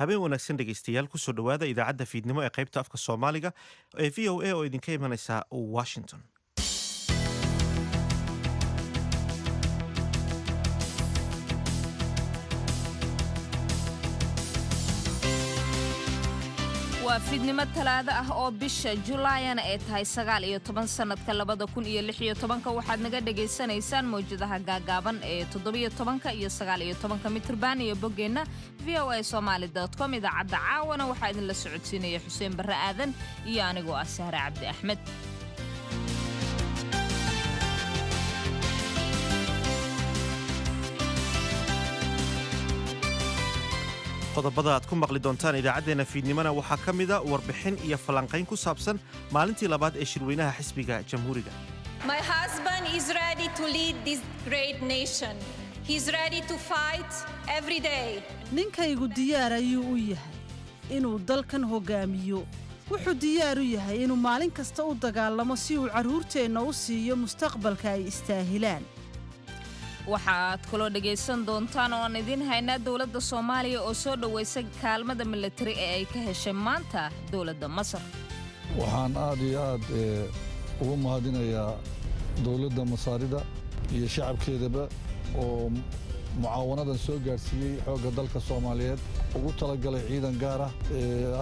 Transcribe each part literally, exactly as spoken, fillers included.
Habeen wanaagsan dhegaystayaal, kusoo dhowaada idaacadda fiidnimo ee qaybta afka Soomaaliga ee V O A oo idinka imanaysa Washington. Waa fiidnimo Talaado ah oo bisha Julaayana ay tahay sagaal iyo toban, sanadka labada kun iyo lix iyo tobanka. Waxaad naga dhagaysanaysaan mawjadaha gaagaaban ee toddobiyo tobanka iyo sagaal iyo tobanka mitrban iyo boggeenna V O A Somali com. Idaacadda caawana waxaa idinla socodsiinaya Xuseen Barre Aadan iyo anigoo ah Sahre Cabdi Axmed. Qodobada aad ku maqli doontaan idaacaddeenna fiidnimona waxaa ka mida warbixin iyo falanqayn ku saabsan maalintii labaad ee shirweynaha xisbiga Jamhuuriga. My husband is ready to lead this great nation. He's ready to fight every day. Ninkaygu diyaar ayuu u yahay inuu dalkan hoggaamiyo. Wuxuu diyaar u yahay inuu maalin kasta u dagaalamo si uu carruurteenna u siiyo mustaqbalka ay istaahilaan. Waxaad kaloo dhegaysan doontaan oo aan idiin haynaa dowladda Soomaaliya oo soo dhoweysay kaalmada milatari ee ay ka heshay maanta dowladda Masar. Waxaan aad iyo aad ugu mahadinayaa dowladda Masaarida iyo shacabkeedaba oo mucaawanadan soo gaadhsiiyey xoogga dalka Soomaaliyeed, ugu talagalay ciidan gaar ah,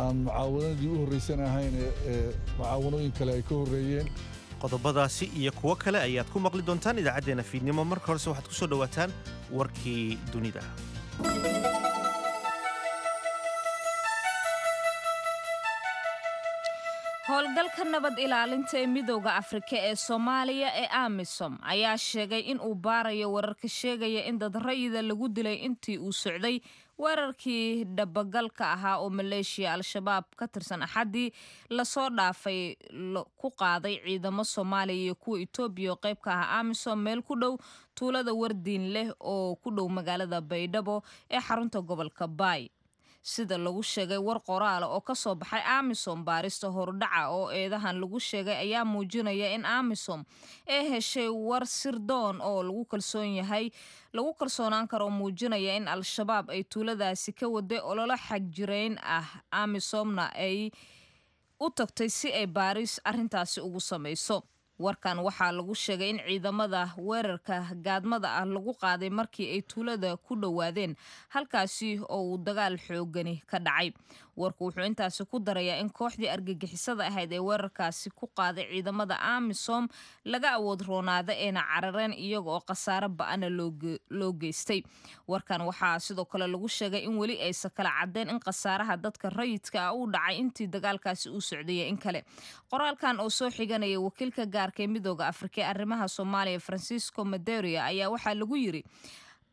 aan mucaawanadii u horraysan ahayn ee mucaawanooyin kale ay ka horreeyeen. Qodobadaasi iyo kuwo kale ayaad ku maqli doontaan idaacaddeenna fiidnimo. Marka horese waxaad ku soo dhowaataan warkii dunida. Howlgalka nabad ilaalinta ee Midooda Afrika ee Soomaaliya ee AMISOM ayaa sheegay in uu baarayo wararka sheegaya in dad rayida lagu dilay intii uu socday weerarkii dhabagalka ahaa oo maleeshiya Al-Shabaab ka tirsan Axaddii lasoo dhaafay ku qaaday ciidamo Soomaaliya iyo kuwa Itoobiya oo qayb ka ah AMISOM meel ku dhow tuulada Wardiin leh oo ku dhow magaalada Baydhabo ee xarunta gobolka Baay. Sida lagu sheegay war qoraala oo ka soo baxay AMISOM, baarista horudhaca oo eedahan lagu sheegay ayaa muujinaya in AMISOM ee heshay war sirdoon oo lagu kalsoon yahay, lagu kalsoonaan karo, muujinaya in Al-Shabaab ay tuuladaasi ka waday ololo xagjireyn ah, AMISOMna ay u tagtay si ay baaris arrintaasi ugu samayso. Warkan waxaa lagu sheegay in ciidamada weerarka gaadmada ah lagu qaaday markii ay tuulada ku dhowaadeen, halkaasi oo uu dagaal xoogani ka dhacay. Warku wuxuu intaasi ku darayaa in kooxdii argagixisada ahayd ee weerarkaasi ku qaaday ciidamada AMISOM laga awood roonaada eena carareen, iyaga oo khasaaro ba'ana loo geystay. Warkan waxaa sidoo kale lagu sheegay in weli aysa kala caddeen in khasaaraha dadka rayidka ah uu dhacay intii dagaalkaasi uu socdayay in kale. Qoraalkan oo soo xiganaya wakiilka gaarka ee Midooda Afrika ee arrimaha Soomaaliya, Francisco Madeira, ayaa waxaa lagu yiri: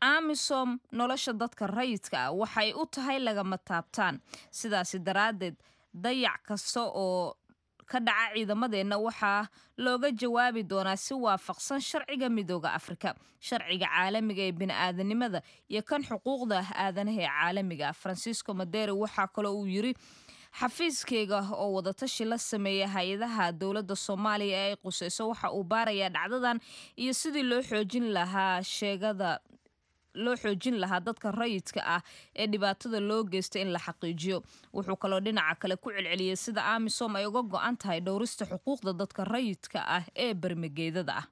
AMISOM nolosha dadka rayidka ah waxay u tahay lagama taabtaan. Sidaasi daraaddeed, dayac kasta oo ka dhaca ciidamadeenna waxaa looga jawaabi doonaa si waafaqsan sharciga Midooda Afrika, sharciga caalamiga ee bini'aadanimada iyo kan xuquuqda aadanaha ee caalamiga. Francisco Madeira waxaa kaloo uu yiri: xafiiskeyga oo wadatashi la sameeya hay-adaha dowladda Soomaaliya ee ay quseyso waxa uu baarayaa dhacdadan iyo sidii loo xoojin lahaa sheegada loo xoojin lahaa dadka rayidka ah ee dhibaatada loo geystay in la xaqiijiyo. Wuxuu kaloo dhinaca kale ku celceliyey sida AMISOM ay uga go'an tahay dhowrista xuquuqda dadka rayidka ah ee bermageedada ah.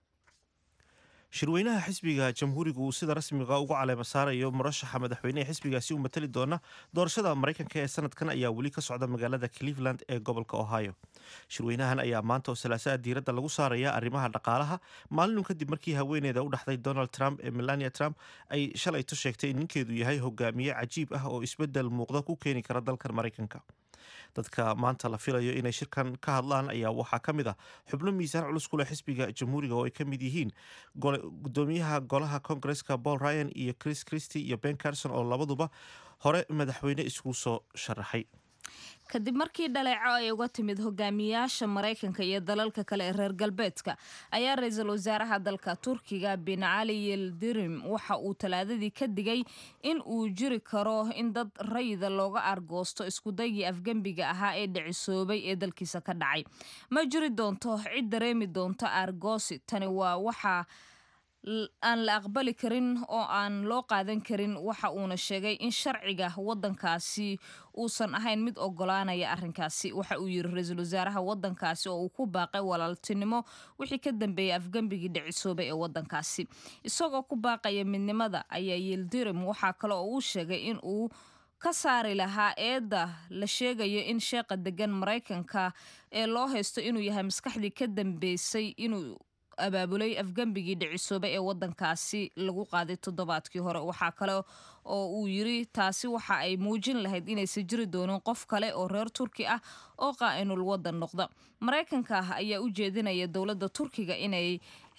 Shirweynaha xisbiga Jamhuuriga uu sida rasmiga ugu caleema saarayo murashaxa madaxweynehe xisbigaasi u matali doona doorashada Maraykanka ee sanadkan ayaa weli ka socda magaalada Cleveland ee gobolka Ohio. Shirweynahan ayaa maanta oo Salaasaha diiradda lagu saaraya arrimaha dhaqaalaha, maalinun kadib markii haweeneyda u dhaxday Donald Trump ee Melania Trump ay shalayto sheegtay in ninkeedu yahay hogaamiye cajiib ah oo isbedel muuqda ku keeni kara dalkan Maraykanka. Dadka maanta la filayo inay shirkan ka hadlaan ayaa waxaa ka mid ah xubno miisaan culus ku leh xisbiga Jamhuuriga oo ay ka mid yihiin gudoomiyaha golaha Koongareska Paul Ryan iyo Chris Christie iyo Ben Carson oo labaduba hore madaxweyne isku soo sharaxay. Kadib markii dhaleeco ay uga timid hogaamiyaasha Maraykanka iyo dalalka kale ee reer galbeedka, ayaa ra-iisul wasaaraha dalka Turkiga Bin Cali Yildirim waxa uu Talaadadii ka digay in uu jiri karo in dad rayida looga argoosto iskudaygii afgembiga ahaa ee dhicisoobay ee dalkiisa ka dhacay. Ma jiri doonto cid dareemi doonto aargoosi. Tani waa waxaa aan la aqbali karin oo aan loo qaadan karin. Waxa uuna sheegay in sharciga wadankaasi uusan ahayn mid ogolaanaya arrinkaasi. Waxa uu yiri ra-iisul wasaaraha wadankaasi oo uu ku baaqay walaaltinimo wixii ka dambeeyay afgembigii dhicisoobay ee wadankaasi, isagoo ku baaqaya midnimada ayaa Yildirim waxaa kale oo uu sheegay in uu ka saari lahaa eedda la sheegayo in sheeqa degan Maraykanka ee loo haysto inuu yahay maskaxdii ka dambeysay inuu abaabulay afgembigii dhicisoobay ee wadankaasi lagu qaaday toddobaadkii hore. Waxaa kale oo uu yiri taasi waxa ay muujin lahayd inaysan jiri doonin qof kale oo reer Turki ah oo qaa'inul wadan noqda. Maraykanka ayaa u jeedinaya dowladda Turkiga inay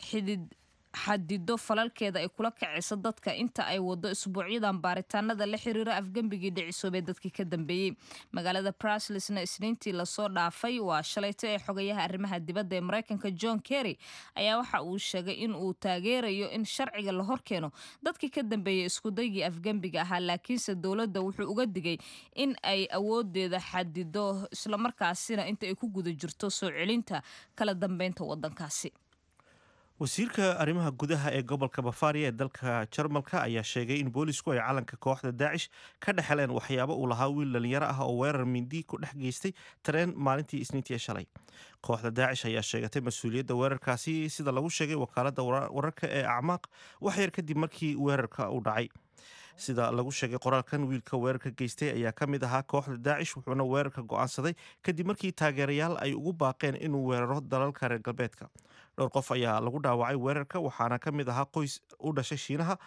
xidid xadido falalkeeda ay kula kacayso dadka inta ay wado isbuucyadan baaritaanada la xiriira afgembigii dhicisoobay dadkii ka dambeeyey. Magaalada Brusselsna Isniintii lasoo dhaafay, waa shalayto, ee xogayaha arrimaha dibadda ee Maraykanka John Kerry ayaa waxa uu sheegay in uu taageerayo in sharciga la horkeeno dadkii ka dambeeyey iskudaygii afgembiga ahaa, laakiinse dowladda wuxuu uga digay in ay awoodeeda xadido, islamarkaasina inta ay ku guda jirto soo celinta kala dambeynta wadankaasi. Wasiirka arrimaha gudaha ee gobolka Bafaria ee dalka Jarmalka ayaa sheegay in boolisku ay calanka kooxda Daacish ka dhex heleen waxyaabo uu lahaa wiil dhalinyaro ah oo weerar mindi ku dhex geystay tareen maalintii Isniintii ee shalay. Kooxda Daacish ayaa sheegatay mas-uuliyadda weerarkaasi, sida lagu sheegay wakaaladda wararka ee Acmaaq, wax yar kadib markii weerarka uu dhacay. Sida lagu sheegay qoraalkan, wiilka weerarka geystay ayaa ka mid ahaa kooxda Daacish, wuxuuna weerarka go'aansaday kadib markii taageerayaal ay ugu baaqeen inuu weeraro dalalka reer galbeedka. Dhowr qof ayaa lagu dhaawacay weerarka, waxaana ka mid ahaa qoys u dhashay Shiinaha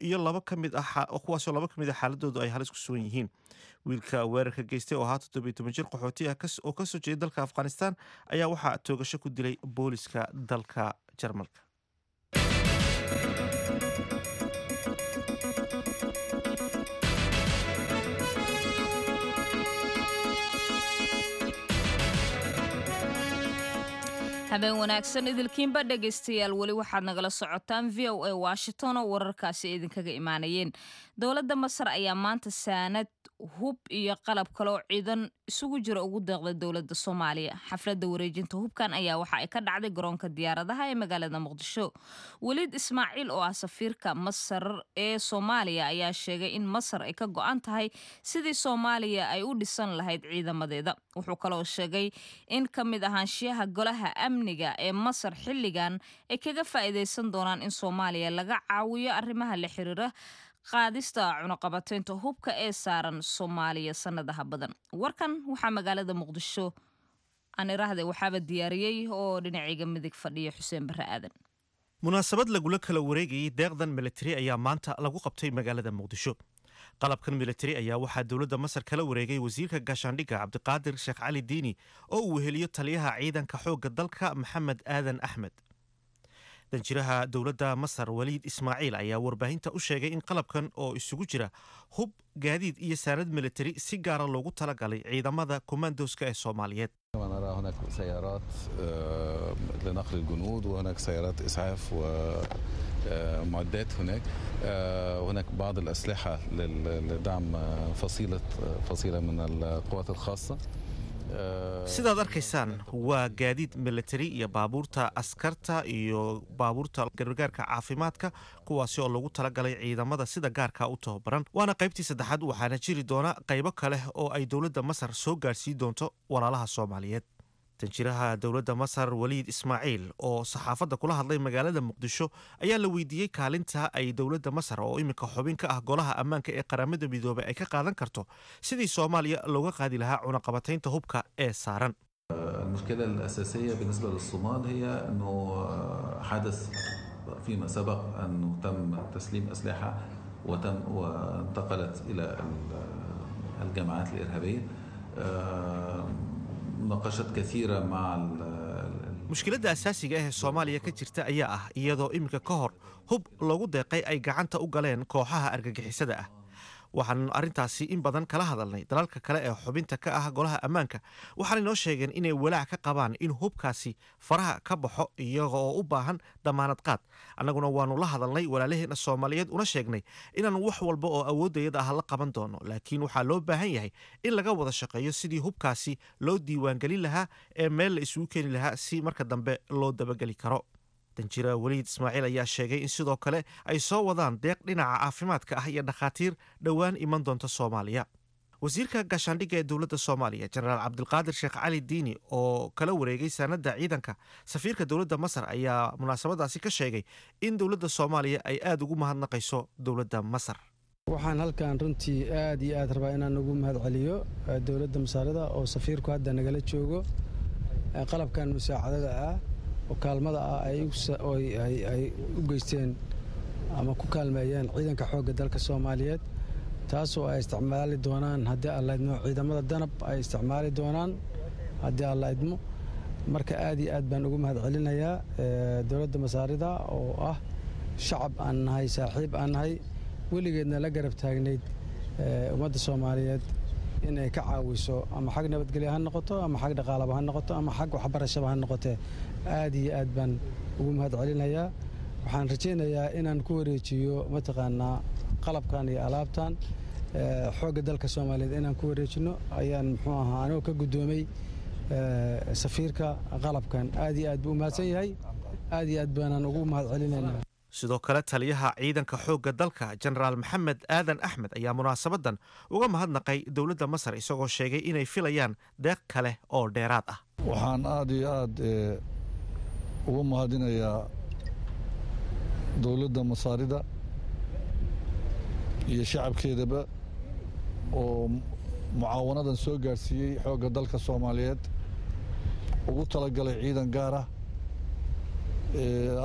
iyo laba ka mid ah, kuwaasoo laba ka mid ah xaaladoodu ay halis ku sugan yihiin. Wiilka weerarka geystay oo ahaa toddobiyo toban jir qaxooti ah oo kasoo jeeda dalka Afghanistan ayaa waxaa toogasho ku dilay booliska dalka Jarmalka. Habeen wanaagsan idilkiinba dhegaystayaal. Weli waxaad nagala socotaan V O A Washington oo wararkaasi idinkaga imaanayeen. Dowladda Masar ayaa maanta saanad hub iyo qalab kale oo ciidan isugu jira ugu deeqday dowladda Soomaaliya. Xafladda wareejinta hubkan ayaa waxa ay ka dhacday garoonka diyaaradaha ee magaalada Muqdisho. Weliid Ismaaciil oo ah safiirka Masar ee Soomaaliya ayaa sheegay in Masar ay ka go'an tahay sidii Soomaaliya ay u dhisan lahayd ciidamadeeda. Wuxuu kaloo sheegay in ka mid ahaanshiyaha golaha amniga ee Masar xilligan ay kaga faa'iidaysan doonaan in Soomaaliya laga caawiyo arrimaha la xiriira qaadista cunaqabateynta hubka ee saaran Soomaaliya sanadaha badan. Warkan waxaa magaalada Muqdisho aan iraahday waxaaba diyaariyey oo dhinacayga midig fadhiya Xuseen Barre Aadan. Munaasabad lagula kala wareegayay deeqdan militari ayaa maanta lagu qabtay magaalada Muqdisho. Qalabkan militari ayaa waxaa dowladda Masar kala wareegay wasiirka gaashaandhigga Cabdiqaadir Sheekh Cali Diini oo uu weheliyo taliyaha ciidanka xoogga dalka Maxamed Aadan Axmed. Danjiraha dowladda Masar Waliid Ismaaciil ayaa warbaahinta u sheegay in qalabkan oo isugu jira hub, gaadiid iyo saanad militari si gaara loogu talagalay ciidamada kumaandooska ee Soomaaliyeed. نرى هناك سيارات لنقل الجنود وهناك سيارات إسعاف ومعدات هناك، هناك بعض الأسلحة لدعم فصيلة فصيلة من القوات الخاصة. Sidaad arkaysaan waa gaadiid militari iyo baabuurta askarta iyo baabuurta gargaarka caafimaadka, kuwaasi oo lagu talagalay ciidamada sida gaarka u tababaran. Waana qaybtii saddexaad, waxaana jiri doona qaybo kale oo ay dowladda Masar soo gaadhsiin doonto walaalaha Soomaaliyeed. Danjiraha dowladda Masar Waliid Ismaaciil oo saxaafadda kula hadlay magaalada Muqdisho ayaa la weydiiyey kaalinta ay dowladda Masar oo iminka xubin ka ah golaha ammaanka ee Qaramada Midoobay ay ka qaadan karto sidii Soomaaliya looga qaadi lahaa cunaqabataynta hubka ee saaran. المشكلة الأساسية بالنسبة للصومال هي أنه حدث فيما سبق أنه تم تسليم أسلحة وتم وانتقلت إلى الجماعات الإرهابية. مناقشات كثيرة مع Mushkiladda asaasiga ah ee Soomaaliya ka jirta ayaa ah iyadoo iminka ka hor hub loogu deeqay ay gacanta u galeen kooxaha argagixisada ah. Waxaanu arrintaasi in badan kala hadalnay dalalka kale ee xubinta ka ah golaha ammaanka, waxaana inoo sheegeen inay walaac ka qabaan in hubkaasi faraha ka baxo iyaga oo u baahan damaanad qaad. Annaguna waanu la hadalnay walaalaheena Soomaaliyeed, una sheegnay inaanu wax walba oo awooddayada ah la qaban doono, laakiin waxaa loo baahan yahay in laga wada shaqeeyo sidii hubkaasi loo diiwaangelin lahaa ee meel la isugu keeni lahaa si marka dambe loo dabageli karo. Danjira Weliid Ismaaciil ayaa sheegay in sidoo kale ay soo wadaan deeq dhinaca caafimaadka ah iyo dhakhaatiir dhowaan iman doonta Soomaaliya. Wasiirka gaashaandhigga ee dowladda Soomaaliya, Jenaraal Cabdilqaadir Sheekh Cali Diini, oo kala wareegay saanadda ciidanka safiirka dowladda Masar, ayaa munaasabadaasi ka sheegay in dowladda Soomaaliya ay aada ugu mahadnaqayso dowladda Masar. Waxaan halkan runtii aad iyo aad rabaa inaan ugu mahad celiyo dowladda Masaarida oo safiirku hadda nagala joogo, qalabkan musaacadada ah oo kaalmada ah ay u geysteen ama ku kaalmeeyeen ciidanka xoogga dalka Soomaaliyeed, taasoo ay isticmaali doonaan haddii Alla idmo, ciidamada Danab ay isticmaali doonaan haddii Alla idmo. Marka aad iyo aad baan ugu mahad celinayaa dowladda Masaarida oo ah shacab aan nahay, saaxiib aan nahay, weligeedna la garab taagnayd ummadda Soomaaliyeed inay ka caawiso, ama xag nabadgelya ha noqoto, ama xag dhaqaalaba ha noqoto, ama xag waxbarashaba ha noqotee. Aad iyo aad baan ugu mahad celinayaa. Waxaan rajaynayaa inaan ku wareejiyo mataqaanaa qalabkan iyo alaabtan xoogga dalka Soomaaliyeed inaan ku wareejino ayaan muxuu ahaa anigoo ka guddoomay safiirka qalabkan. Aad iyo aad buu u mahadsan yahay, aad iyo aad baanaan ugu mahad celinaynaa. Sidoo kale taliyaha ciidanka xoogga dalka, Jenaraal Maxamed Aadan Axmed, ayaa munaasabadan uga mahadnaqay dowladda Masar, isagoo sheegay inay filayaan deeq kale oo dheeraad ah. Waxaan aada iyo aad ugu mahadinayaa dowladda Masaarida iyo shacabkeedaba oo mucaawanadan soo gaadhsiiyey xoogga dalka Soomaaliyeed, ugu talagalay ciidan gaar ah,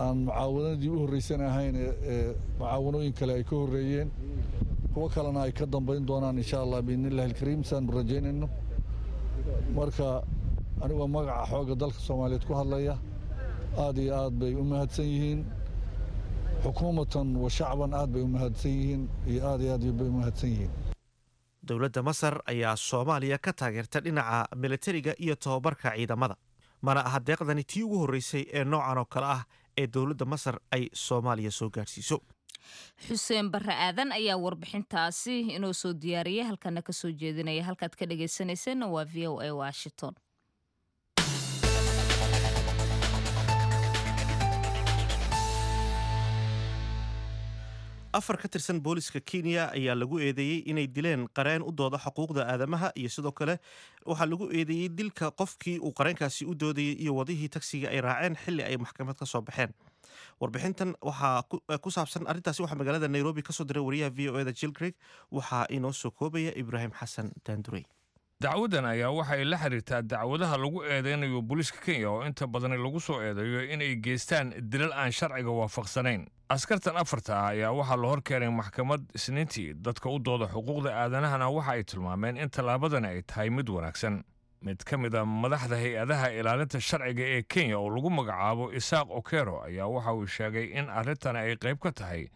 aan mucaawanadii u horreysan ahayn ee mucaawanooyin kale ay ka horreeyeen, kuwo kalena ay ka dambayn doonaan insha Allah biidni illahi alkariim saanu rajaynayno. Marka anigoo magaca xoogga dalka Soomaaliyeed ku hadlaya, aad iyo aad bay u mahadsan yihiin, xukuumatan wa shacban aad bay u mahadsan yihiin iyo aad iyo aad bay u mahadsan yihiin. Dowladda Masar ayaa Soomaaliya ka taageerta dhinaca militariga iyo tababarka ciidamada, mana aha deeqdani tii ugu horreysay ee noocan oo kale ah ee dowladda Masar ay Soomaaliya soo gaadhsiiso. Xuseen Barre Aadan ayaa warbixintaasi inoo soo diyaariyay, halkana ka soo jeedinaya. Halkaad ka dhagaysanayseena waa V O A Washington. Afar ka tirsan booliska Kenya ayaa lagu eedeeyey inay dileen qareen u dooda xuquuqda aadamaha, iyo sidoo kale waxaa lagu eedeeyey dilka qofkii uu qareenkaasi u doodayey iyo wadihii tagsiga ay raaceen xilli ay maxkamad ka soo baxeen. Warbixintan waxaa ku saabsan arrintaasi waxaa magaalada Nairobi kasoo diray wariyaha V O E da Jill Craig. Waxaa inoo soo koobaya Ibraahim Xasan Daandurey. Dacwadan ayaa waxay la xiriirtaa dacwadaha lagu eedeynayo booliiska Kenya oo inta badani lagu soo eedeeyo inay geystaan dilal aan sharciga waafaqsanayn. Askartan afarta ah ayaa waxaa la hor keenay maxkamad Isniintii. Dadka u dooda xuquuqda aadanahana waxa ay tilmaameen in tallaabadani ay tahay mid wanaagsan. Mid ka mid a madaxda hay-adaha ilaalinta sharciga ee Kenya oo lagu magacaabo Isaaq Okero ayaa waxa uu sheegay in arrintani ay qayb ka tahay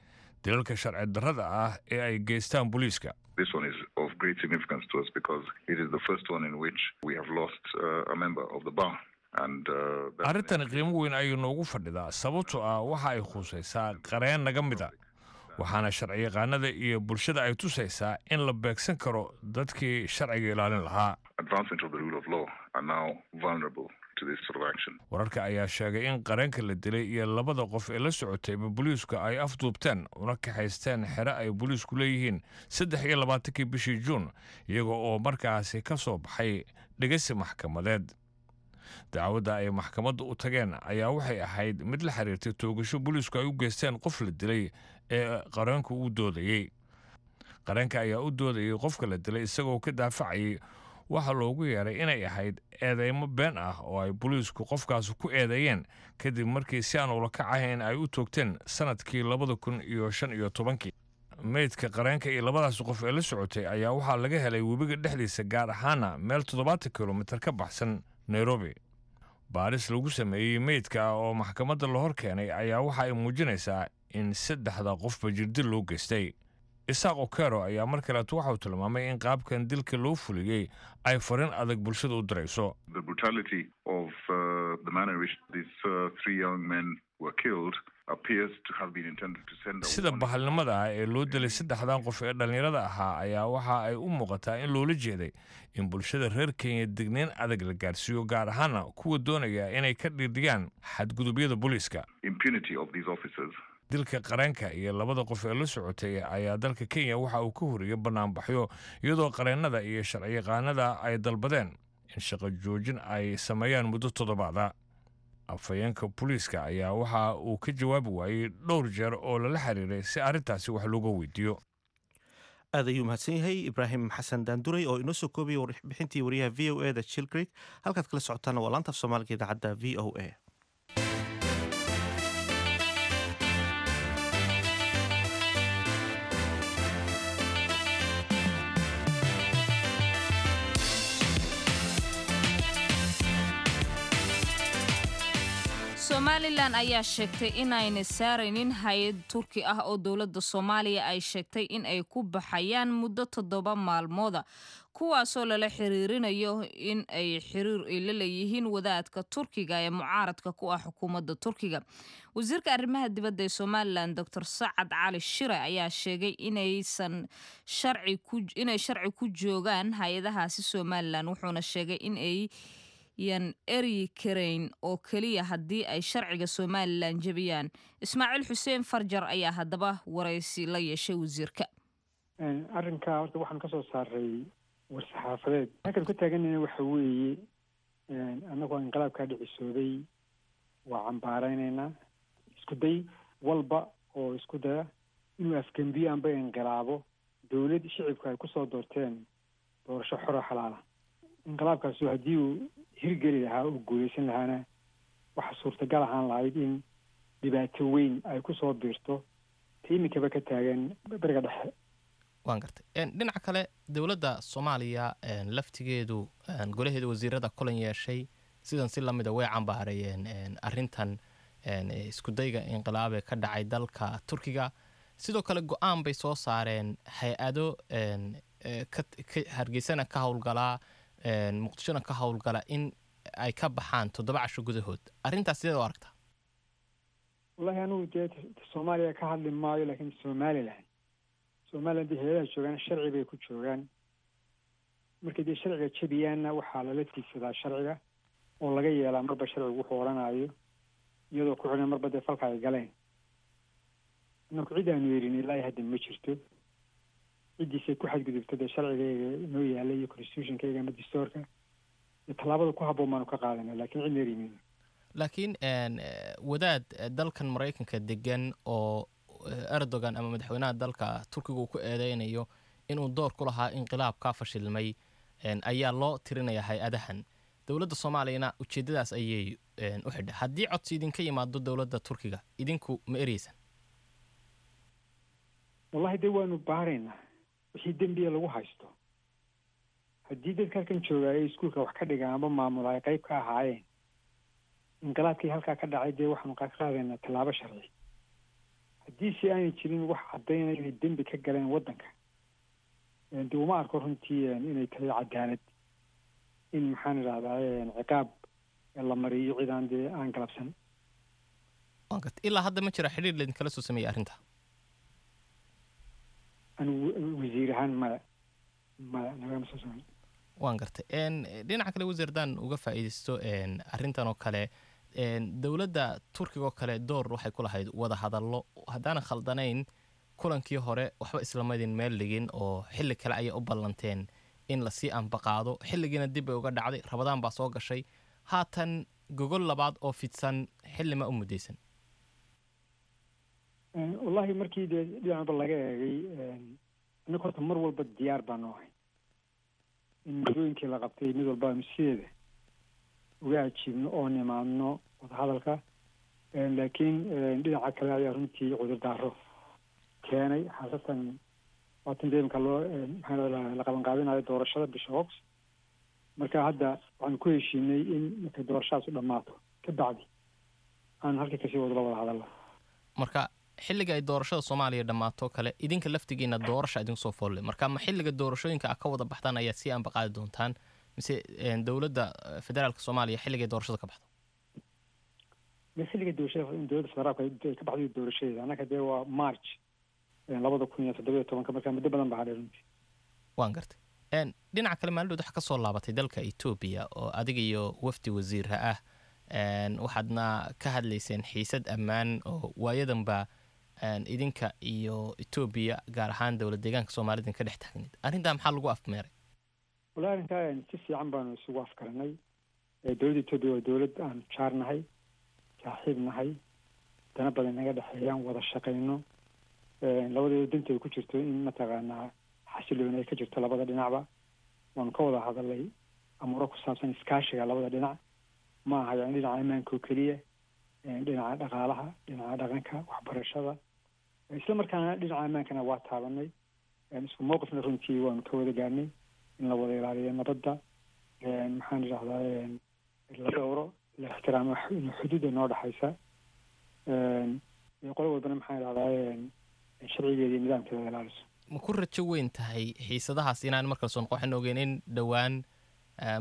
dilalka sharci darrada ah ee ay geystaan booliiska. This one is of great significance to us because it is the first one in which we have lost uh, a member of the bar. And, uh, Arrintan qiimo weyn ayuu noogu fadhidaa, sababtoo ah waxa ay khusaysaa qareen naga mida, waxaana sharciyaqaanada iyo bulshada ay tusaysaa in la beegsan karo dadkii sharciga ilaalin lahaa. Advancement of the rule of law are now vulnerable to this sort of action. Wararka ayaa sheegay in qareenka la dilay iyo labada qof ee la socotayba booliisku ay afduubteen una kaxaysteen xere ay booliisku leeyihiin saddex iyo labaatankii bishii Juun, iyaga oo markaasi ka soo baxay dhegeysi maxkamadeed. Dacwadda ay maxkamadda u tageen ayaa waxay ahayd mid la xiriirtay toogasho booliisku ay u geysteen qof la dilay ee qareenku u doodayey. Qareenka ayaa u doodayay qofka la dilay, isagoo ka daafacayay waxaa loogu yeeray inay ahayd eedeymo been ah oo ay booliisku qofkaas ku eedeeyeen, kadib markii si aan ula kac ahayn ay u toogteen sanadkii labada kun iyo shan iyo tobankii. Meydka qareenka iyo labadaas qof ee la socotay ayaa waxaa laga helay webiga dhexdiisa, gaar ahaana meel toddobaatan kilomitir ka baxsan Nairobi. Baaris lagu sameeyey meydka oo maxkamadda la hor keenay ayaa waxa ay muujinaysaa in saddexda qofba jirdil loo geystay. Isaaq Okero ayaa mar kaleeto waxa uu tilmaamay in qaabkan dilka loo fuliyey ay farin adag bulshada u dirayso. The brutality of uh, the manner in which these uh, three young men were killed appears to have been intended to send a Sida bahalnimada ah ee loo dilay saddexdan qof ee dhallinyarada ahaa ayaa waxa ay u muuqataa in loola jeeday in bulshada reer Kenya degneyn adag la gaarsiiyo, gaar ahaana kuwa doonaya inay ka dhiidhiyaan xadgudubyada booliiska. Impunity of these officers. Dilka qareenka iyo labada qof ee la socotay ayaa dalka Kenya waxa uu ka horiyey banaanbaxyo, iyadoo qareennada iyo sharciyaqaanada ay dalbadeen in shaqo joojin ay sameeyaan muddo toddobaada. Afhayeenka booliiska ayaa waxa uu ka jawaabi waayey dhowr jeer oo lala xiriiray si arrintaasi wax looga weydiiyo. Aad ayuu mahadsan yahay Ibraahim Xasan Daanduray oo inoo soo koobayay warbixintii wariyaha V O E da Jill Craig. Halkaad kala socotaana waa laanta af Soomaaliga idaacadda V O A. Somalilan ayaa sheegtay inayna saaraynin hay-ad Turki ah oo dowladda Soomaaliya ay sheegtay in ay ku baxayaan muddo toddoba maalmooda, kuwaasoo lala xiriirinayo in ay xiriir ay la leeyihiin wadaadka Turkiga ee mucaaradka ku ah xukuumadda Turkiga. Wasiirka arrimaha dibadda ee Somalilan, Doctor Sacad Cali Shire, ayaa sheegay inaysan sharci ku inay sharci ku joogaan hay-adahaasi Somalilan, wuxuuna sheegay in ay yan eryi karayn oo keliya haddii ay sharciga Somalilan jebiyaan. Ismaaciil Xuseen Farjar ayaa haddaba waraysi la yeeshay wasiirka. Arrinka horta waxaan kasoo saaray war-saxaafadeed. Halkan ku taaganayna waxa weeye, annagoo inqilaabkaa dhicisoobay waa cambaareynayna isku day walba oo isku daya inuu afgembiyo amba inqilaabo dowlad shicibka ay kusoo doorteen doorasho xoro xalaala. Inqilaabkaasu haddii uu hirgeli lahaa oo guuleysan lahaana, waxaa suurtagal ahaan lahayd in dhibaato weyn ay kusoo biirto ta iminkaba ka taagan Beriga Dhexe. Waan gartay. Dhinaca kale, dowladda Soomaaliya laftigeedu golaheeda wasiirada kulan yeeshay, sidan si lamida way cambaareeyeen arrintan iskudayga inqilaabee ka dhacay dalka Turkiga. Sidoo kale go-aan bay soo saareen hay-ado Hargeysana ka howlgalaa, Muqdishona ka howlgala, in ay ka baxaan toddoba casho gudahood. Arrintaas sideed u aragtaa? Wallahi anigu dee Soomaaliya ka hadli maayo, laakiin Somaliland Somaliland dee hay-adaha joogaan sharci bay ku joogaan. Markay dee sharciga jebiyaanna waxaa lala tiigsadaa sharciga oo laga yeelaa marba sharcigu wuxuu odhanayo, iyadoo ku xidhan marba dee falka ay galeen. Anaku cid aanu yerin ilaa hadda ma jirto. Ciddiisay ku xadgudubta dee sharcigayga inoo yaalay iyo constitutionkayga ama dastuurka, tallaabada ku habboon baanu ka qaadana, laakiin cidna erimayno. Laakiin wadaad dalkan Maraykanka degan oo Erdogan ama madaxweynaha dalka Turkiga uu ku eedeynayo inuu door ku lahaa inqilaab kaa fashilmay ayaa loo tirinaya hay-adahan. Dowladda Soomaaliyana ujeeddadaas ayay u xidhay. Haddii codsi idinka yimaado dowladda Turkiga, idinku ma ereysan? Wallahi dee waanu baaraynaa wixii dembiya lagu haysto. Haddii dadka halkan joogaayay iskuulka wax ka dhiga amba maamula ay qayb ka ahaayeen inqilaabkii halkaa ka dhacay, dee waxaanu ka qaadaynaa tallaabo sharci. Haddii si aanay jirin wax caddaynaya inay dembi ka galeen waddanka, dee uma arko runtii inay tahay cadaalad in, maxaan idhahdaa, ciqaab la mariyo cidaan dee aan galabsan. Ilaa hadda ma jira xidhiir laidinkala soo sameeyey arrinta? Anigu wasiir ahaan maya, maya, nagama soo sameyn. Waan gartay. Dhinaca kale, wasiir, haddaan uga faa'iidaysto arrintan oo kale, dowladda Turkiga oo kale door waxay ku lahayd wada hadallo. Haddaanan khaldanayn, kulankii hore waxba islamadin meel dhigin oo xilli kale ayay u ballanteen in lasii ambaqaado. Xilligiina dib bay uga dhacday, Rabadaan baa soo gashay. Haatan gogol labaad oo fidsan xilli ma u muddaysan? Wallahi markii dee dhinacba laga eegay, annaga horta mar walba diyaar baanu ahay in muddooyinkii la qabtay mid walba aanu sideeda uga ajiibno oo nimaadno wadahadalka, laakiin dhinaca kale ayaa runtii cudurdaaro keenay, khaasatan waatan dee imka loo, maxaa la qabanqaabinayo doorashada bisha August. Marka hadda waxaanu ku heshiinay in markay doorashadaas u dhammaato ka bacdi aan halkii kasii wadlo wada hadalla. Marka xilliga ay doorashada Soomaaliya dhammaato kale, idinka laftigiina doorasha idinku soo foolle. Marka ma xilliga doorashooyinka a ka wada baxdaan ayaa sii ambaqaadi doontaan, mise dowladda federaalka Soomaaliya xilligay doorashada ka baxdo? Xilliga doorashada in dowladda federaalka ay ka baxday doorashadeeda annaka dee waa March labada kun iyo toddoba iyo tobanka, marka muddo badan baa hadhay runtii. Waan gartay. Dhinaca kale, maalin waxa ka soo laabatay dalka Etoobiya oo adiga iyo wafdi wasiirha ah, waxaadna ka hadlayseen xiisad ammaan oo waayadanba idinka iyo Etoobiya, gaar ahaan dowlad deegaanka Soomaalida, ka dhex taagneyd. Arrintaa maxaa lagu afmeeray? Wallahi, arrintaa si fiican baanu isugu afkaranay. Dowladda Etoobiya waa dowlad aan jaarnahay, saaxiib nahay, dana badan naga dhexeeyaan, wada shaqayno, labadeeda danta ay ku jirto in mataqaanaa xasilooni ay ka jirto labada dhinacba. Waanu ka wada hadalay amuuro ku saabsan iskaashiga labada dhinac, ma aha yani dhinaca ammaanka oo keliya, dhinaca dhaqaalaha, dhinaca dhaqanka, waxbarashada, isla markaana dhinaca ammaankana waa taabanay. Isku mowqifna runtii waanu ka wada gaarnay in la wada ilaaliyo nabadda, maxaan idhahdaa, la dhowro, la ixtiraamo xuduudda noo dhexaysa, qolo walbana, maxaan idhahdaa, sharcigeeda iyo nidaamkeeda ilaaliso. Ma ku rajo weyn tahay xiisadahaas inaan markale soo noqo? Waxaan ogeyn in dhowaan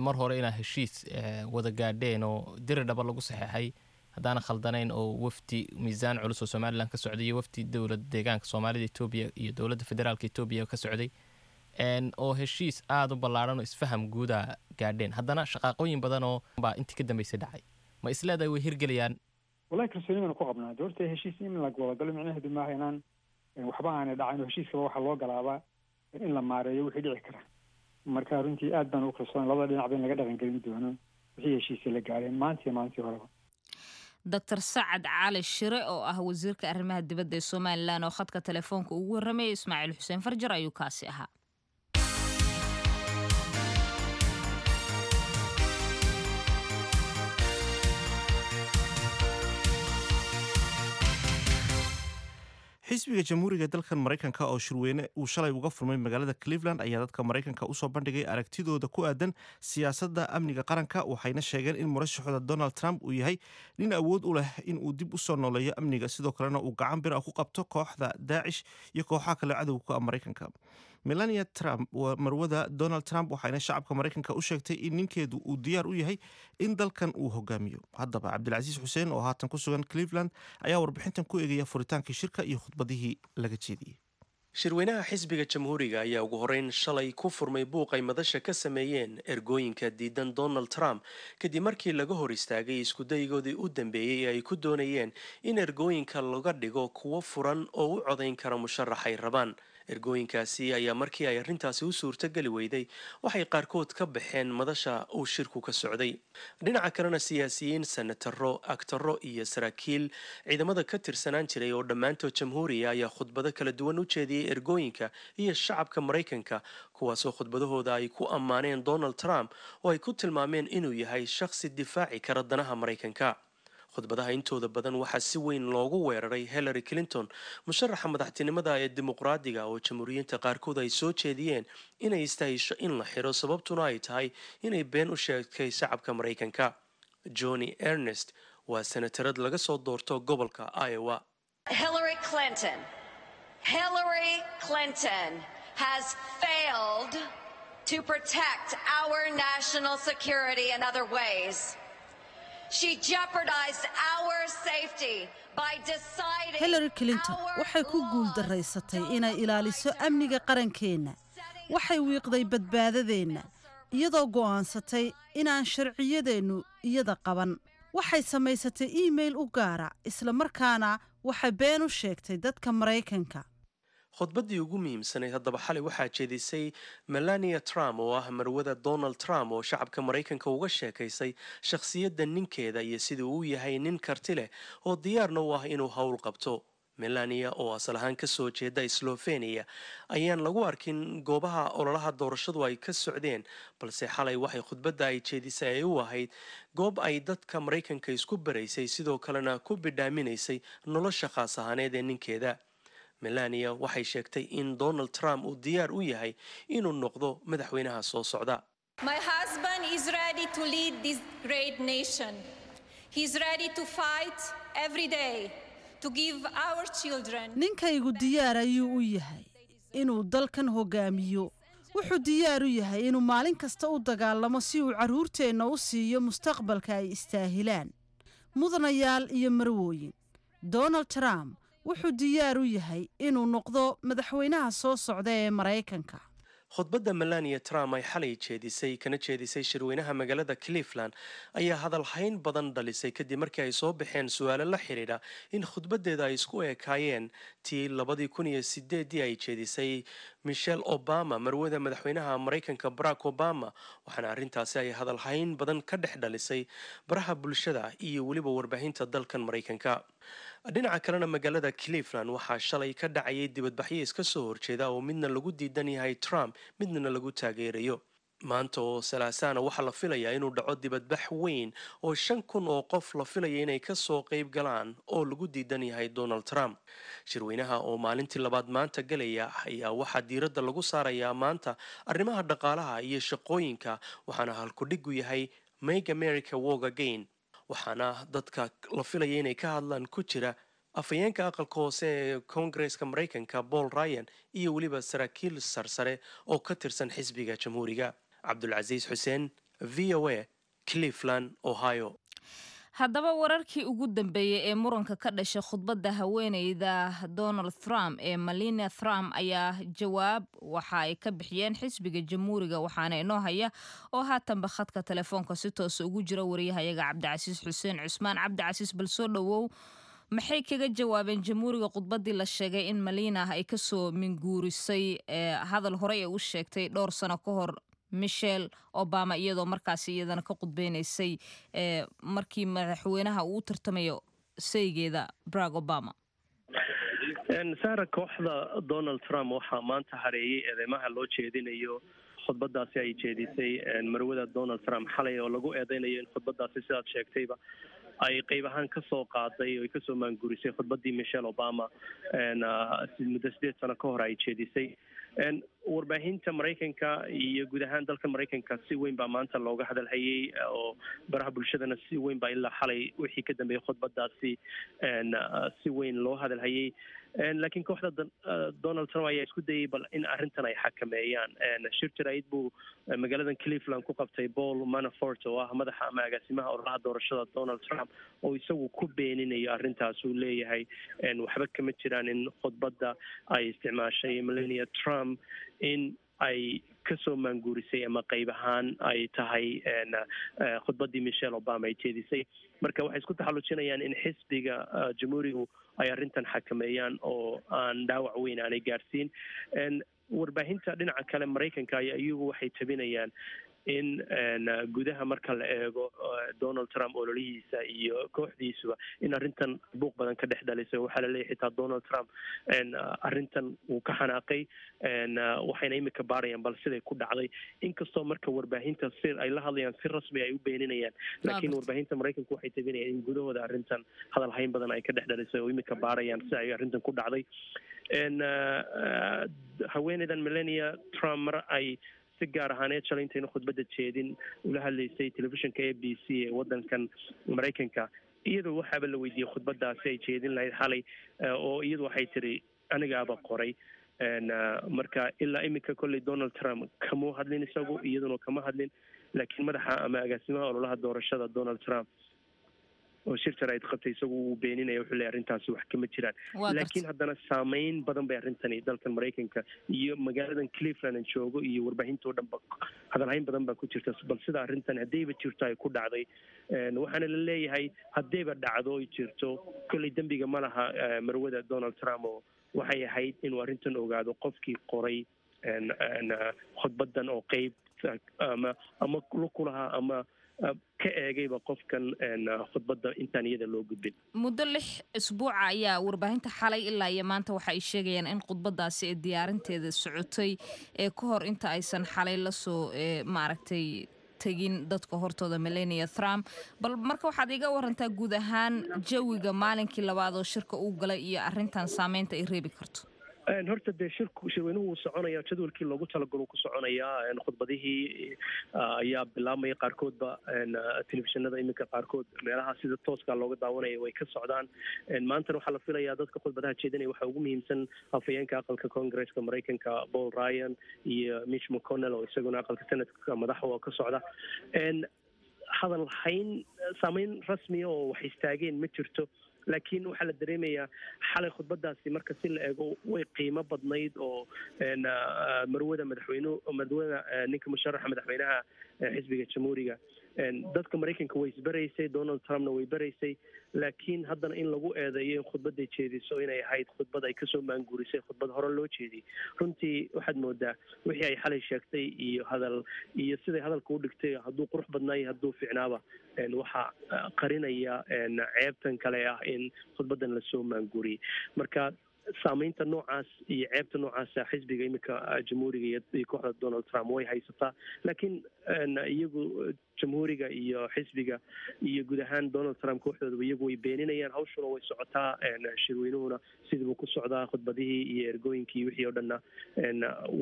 mar hore inaa heshiis wada gaadheen oo diri dhaba lagu saxeexay, haddaana khaldanayn, oo wafdi miisaan culus oo Somaliland ka socday iyo wafdi dowlad deegaanka Soomaalida Etoobiya iyo dowladda federaalka Etoobiya ka socday, oo heshiis aada u ballaaran oo isfaham guuda gaadheen. Haddana shaqaaqooyin badan oo baa intii ka dambeysay dhacay. Ma isleedahay way hirgelayaan? Wallahi, kalsooni baanu ku qabnaa. De horta heshiis in la wadagalo micnaheedu maaha inaan waxba aanay dhacayn, oo heshiiskaba waxaa loo galaabaa in la maareeyo wixii dhici kara. Marka runtii aad baan ugu kalsoon labada dhinacba in laga dhaqangelin doono wixii heshiisii la gaareen maanta iyo maalintii horeba. Doctor Sacad Cali Shire oo ah wasiirka arrimaha dibadda ee Somaliland oo khadka telefoonka ugu warramayay Ismaaciil Xuseen Farjar ayuu kaasi ahaa. Xisbiga Jamhuuriga ee dalkan Maraykanka oo shirweyne uu shalay uga furmay magaalada Cleveland ayaa dadka Maraykanka usoo bandhigay aragtidooda ku aadan siyaasadda amniga qaranka, waxayna sheegeen in murashaxooda Donald Trump uu yahay nin awood u leh in uu dib usoo nooleeyo amniga, sidoo kalena uu gacan bir ah ku qabto kooxda Daacish iyo kooxaha kale cadowga ah Maraykanka. Melania Trump waa marwada Donald Trump, waxayna shacabka Maraykanka u sheegtay in ninkeedu uu diyaar u yahay in dalkan uu hogaamiyo. Haddaba, Cabdilcasiis Xuseen oo haatan ku sugan Cleveland ayaa warbixintan ku eegaya furitaankii shirka iyo khudbadihii laga jeediyey. Shirweynaha xisbiga Jamhuuriga ayaa ugu horeyn shalay ku furmay buuq ay madasha ka sameeyeen ergooyinka diidan Donald Trump, kadib markii laga hor istaagay iskudaygoodii u dambeeyey ee ay ku doonayeen in ergooyinka laga dhigo kuwo furan oo u codayn kara musharax ay rabaan. Ergooyinkaasi ayaa markii ay arrintaasi u suurtogeli weyday waxay qaarkood ka baxeen madasha uu shirku ka socday. Dhinaca kalena, siyaasiyiin, senataro, agtaro iyo saraakiil ciidamada ka tirsanaan jiray oo dhammaantood Jamhuuriya ayaa khudbado kala duwan u jeediyey ergooyinka iyo shacabka Maraykanka, kuwaasoo khudbadahooda ay ku ammaaneen Donald Trump oo ay ku tilmaameen inuu yahay shakhsi difaaci kara danaha Maraykanka. Khudbadaha intooda badan waxaa si weyn loogu weeraray Hillary Clinton, musharaxa madaxtinimada ee Dimuqraadiga, oo Jamhuuriyiinta qaarkood ay soo jeediyeen inay istahisho in la xiro, sababtuna ay tahay inay been u sheegtay shacabka Maraykanka. Joni Ernest waa senatarad laga soo doorto gobolka Iowa. Hillary Clinton. Hillary Clinton has failed to protect our national security in other ways. She jeopardized our safety by deciding Hillary Clinton waxay ku guuldaraysatay inay ilaaliso amniga qarankeenna. Waxay wiiqday badbaadadeenna iyadoo go'aansatay inaan sharciyadeennu iyada qaban. Waxay samaysatay iimayl u gaara, isla markaana waxay been u sheegtay dadka Maraykanka. Khudbaddii ugu muhiimsanayd haddaba xalay waxaa jeedisay Melania Trump oo ah marwada Donald Trump, oo shacabka Maraykanka uga sheekaysay shakhsiyadda ninkeeda iyo sidii uu yahay nin karti leh oo diyaarna u ah inuu howl qabto. Melania oo asal ahaan kasoo jeeda Slovenia ayaan lagu arkin goobaha ololaha doorashadu ay ka socdeen, balse xalay waxay khudbadda ay jeedisay ay u ahayd goob ay dadka Maraykanka isku baraysay, sidoo kalena ku bidhaaminaysay nolosha khaas ahaaneed ee ninkeeda. Melania waxay sheegtay in Donald Trump uu diyaar u yahay inuu noqdo madaxweynaha soo socda. My husband is ready to lead this great nation. He's ready to fight every day to give our children Ninkaygu diyaar ayuu u yahay inuu dalkan hogaamiyo. Wuxuu diyaar u yahay inuu maalin kasta u dagaalamo si uu carruurteenna u siiyo mustaqbalka ay istaahilaan. Mudanayaal iyo marwooyin, Donald Trump wuxuu diyaar u yahay inuu noqdo madaxweynaha soo socda ee Maraykanka. Khudbadda Melania Trump ay xalay jeedisay kana jeedisay shirweynaha magaalada Cleveland ayaa hadalhayn badan dhalisay, kadib markii ay soo baxeen su-aalo la xidhiidha in khudbaddeeda ay isku ekaayeen tii labadii kun iyo sideedii ay jeedisay Michelle Obama, marwada madaxweynaha Maraykanka Barack Obama, waxaana arrintaasi ay hadalhayn badan ka dhex dhalisay baraha bulshada iyo weliba warbaahinta dalkan Maraykanka. Dhinaca kalena, magaalada Cleveland waxaa shalay ka dhacayay dibadbaxyo iska soo horjeeda oo midna lagu diidan yahay Trump, midna lagu taageerayo. Maanta oo Salaasaana waxaa la filayaa inuu dhaco dibadbax weyn oo shan kun oo qof la filaya inay kasoo qeyb galaan oo lagu diidan yahay Donald Trump. Shirweynaha oo maalintii labaad maanta galaya ayaa waxaa diiradda lagu saarayaa maanta arrimaha dhaqaalaha iyo shaqooyinka, waxaana halkudhigu yahay "Make America Work Again", waxaana dadka la filaya inay ka hadlaan ku jira afhayeenka Aqalka Hoose ee Koongareeska Maraykanka Paul Ryan iyo weliba saraakiil sarsare oo ka tirsan xisbiga Jamhuuriga. Cabdulcasiis Xuseen, V O A, Cleveland, Ohio. Haddaba, wararkii ugu dambeeyey ee muranka ka dhashay khudbadda haweeneyda Donald Trump ee Melania Trump ayaa jawaab waxa ay ka bixiyeen xisbiga Jamhuuriga, waxaana inoo haya oo haatanba khadka telefoonka si toosa ugu jira wariyahayaga Cabdicasiis Xuseen Cusmaan. Cabdicasiis, bal soo dhowow. Maxay kaga jawaabeen Jamhuuriga khudbaddii la sheegay in Melania ay kasoo minguurisay hadal horey ee u sheegtay dhowr sano ka hor Michelle Obama, iyadoo markaasi iyadana ka khudbeynaysay markii madaxweynaha uu u tartamayo saygeeda Barack Obama? Sara, kooxda Donald Trump waxaa maanta hareeyey eedeymaha loo jeedinayo khudbadaasi ay jeedisay marwada Donald Trump xalay, oo lagu eedeynayo in khudbadaasi, sidaad sheegtayba, ay qeyb ahaan kasoo qaaday oo ay kasoo maangurisay khudbadii Michelle Obama muddo sideed sano ka hor ay jeedisay. Warbaahinta Maraykanka iyo guud ahaan dalka Maraykanka si weyn baa maanta looga hadalhayay, oo baraha bulshadana si weyn baa ilaa xalay wixii ka dambeeyey khudbadaasi si weyn loo hadalhayay. Laakiin kooxda Donald Trump ayaa isku dayay bal in arrintan ay xakameeyaan. Shir jaraa'id buu magaaladan Cleveland ku qabtay Paul Manafort, oo ah madaxa ama agaasimaha ololaha doorashada Donald Trump, oo isagu ku beeninayo arrintaas. Uu leeyahay waxba kama jiraan in khudbadda ay isticmaashay Melania Trump in ay kasoo maanguurisay ama qayb ahaan ay tahay khudbaddii Michelle Obama ay jeedisay. Marka waxay isku taxallujinayaan in xisbiga Jamhuurigu ay arrintan xakameeyaan oo aan dhaawac weyn aanay gaarsiin. Warbaahinta dhinaca kale Maraykanka ayaa iyagu waxay tabinayaan in gudaha marka la eego Donald Trump ololihiisa iyo kooxdiisuba in arrintan buuq badan ka dhex dhalisay. Waxaa la leeyahay xitaa Donald Trump arrintan wuu ka xanaaqay, waxayna imika baarayaan bal siday ku dhacday, inkastoo marka warbaahinta si ay la hadlayaan si rasmi ay u beeninayaan. Laakiin warbaahinta Maraykanku waxay tabinayaan in gudahooda arrintan hadal hayn badan ay ka dhex dhalisay oo imika baarayaan si ay arrintan ku dhacday. Haweeneydan Melania Trump, mar ay si gaar ahaaneed shalay intayna khudbadda jeedin ula hadlaysay telefishinka A B C ee waddankan Maraykanka, iyadoo waxaaba la weydiiyey khudbadaasi ay jeedin lahayd xalay, oo iyadu waxay tiri, "Anigaaba qoray." Marka ilaa iminka kolley Donald Trump kamuu hadlin isagu, iyaduna kama hadlin, laakiin madaxa ama agaasimaha ololaha doorashada Donald Trump oo shir jaraa'id qabtay isagu wuu beeninaya. Wuxuu leeyahay arrintaasi wax kama jiraan. Laakiin haddana saameyn badan bay arrintani dalkan Maraykanka iyo magaaladan Cleveland aan joogo iyo warbaahinta oo dhan ba hadalhayn badan baa ku jirta bal sida arrintan, haddayba jirto, ay ku dhacday. Waxaana la leeyahay haddayba dhacdo oy jirto, kolley dembiga ma laha marwada Donald Trump, oo waxay ahayd inuu arrintan ogaado qofkii qoray khudbadan oo qeyb ama ama lug ku lahaa ama ka eegayba qofkan khudbadda intaan iyada loo gudbin. Muddo lix isbuuca ayaa warbaahinta xalay ilaa iyo maanta waxa ay sheegayaan in khudbadaasi ee diyaarinteeda socotay ee ka hor inta aysan xalay lasoo maaragtay tegin dadka hortooda Melania Trump. Bal marka waxaad iga warantaa guud ahaan jawiga maalinkii labaad oo shirka uu galay iyo arrintan saameynta ay reebi karto. Horta dee shirku, shirweynuhu wuu soconaya, jadwalkii loogu talagalo ku soconayaa. Khudbadihii ayaa bilaabmaya qaarkoodba, telefishinada iminka qaarkood meelaha sida tooska looga daawanaya way ka socdaan. Maantana waxaa la filayaa dadka khudbadaha jeedinaya waxaa ugu muhiimsan afhayeenka Aqalka Congresska Maraykanka Paul Ryan iyo Mitch McConnell, oo isaguna Aqalka Senatka madaxa oo ka socda. Hadal hayn saameyn rasmiya oo wax istaageen ma jirto, laakiin waxaa la dareemayaa xalay khudbadaasi marka si la eego way qiimo badnayd oo marwada madaxweynuhu, marwada ninka musharaxa madaxweynaha xisbiga Jamhuuriga, dadka Maraykanka way isbaraysay, Donald Trumpna way baraysay. Laakiin haddana in lagu eedeeyo in khudbadday jeediso inay ahayd khudbad ay kasoo maanguurisay khudbad hore loo jeediyey, runtii waxaad moodaa wixii ay xalay sheegtay iyo hadal iyo siday hadalka u dhigtay, hadduu qurux badnaayo, hadduu fiicnaaba, waxaa qarinaya ceebtan kale ah in khudbaddan lasoo maanguuriyey. Marka saameynta noocaas iyo ceebta noocaasa xisbiga iminka Jamhuuriga iyo kooxda Donald Trump way haysataa, laakiin iyagu Jamhuuriga iyo xisbiga iyo guud ahaan Donald Trump kooxdoodaba iyagu way beeninayaan. Hawshuna way socotaa, shirweynuhuna sidiibuu ku socdaa, khudbadihii iyo ergooyinkii wixii oo dhanna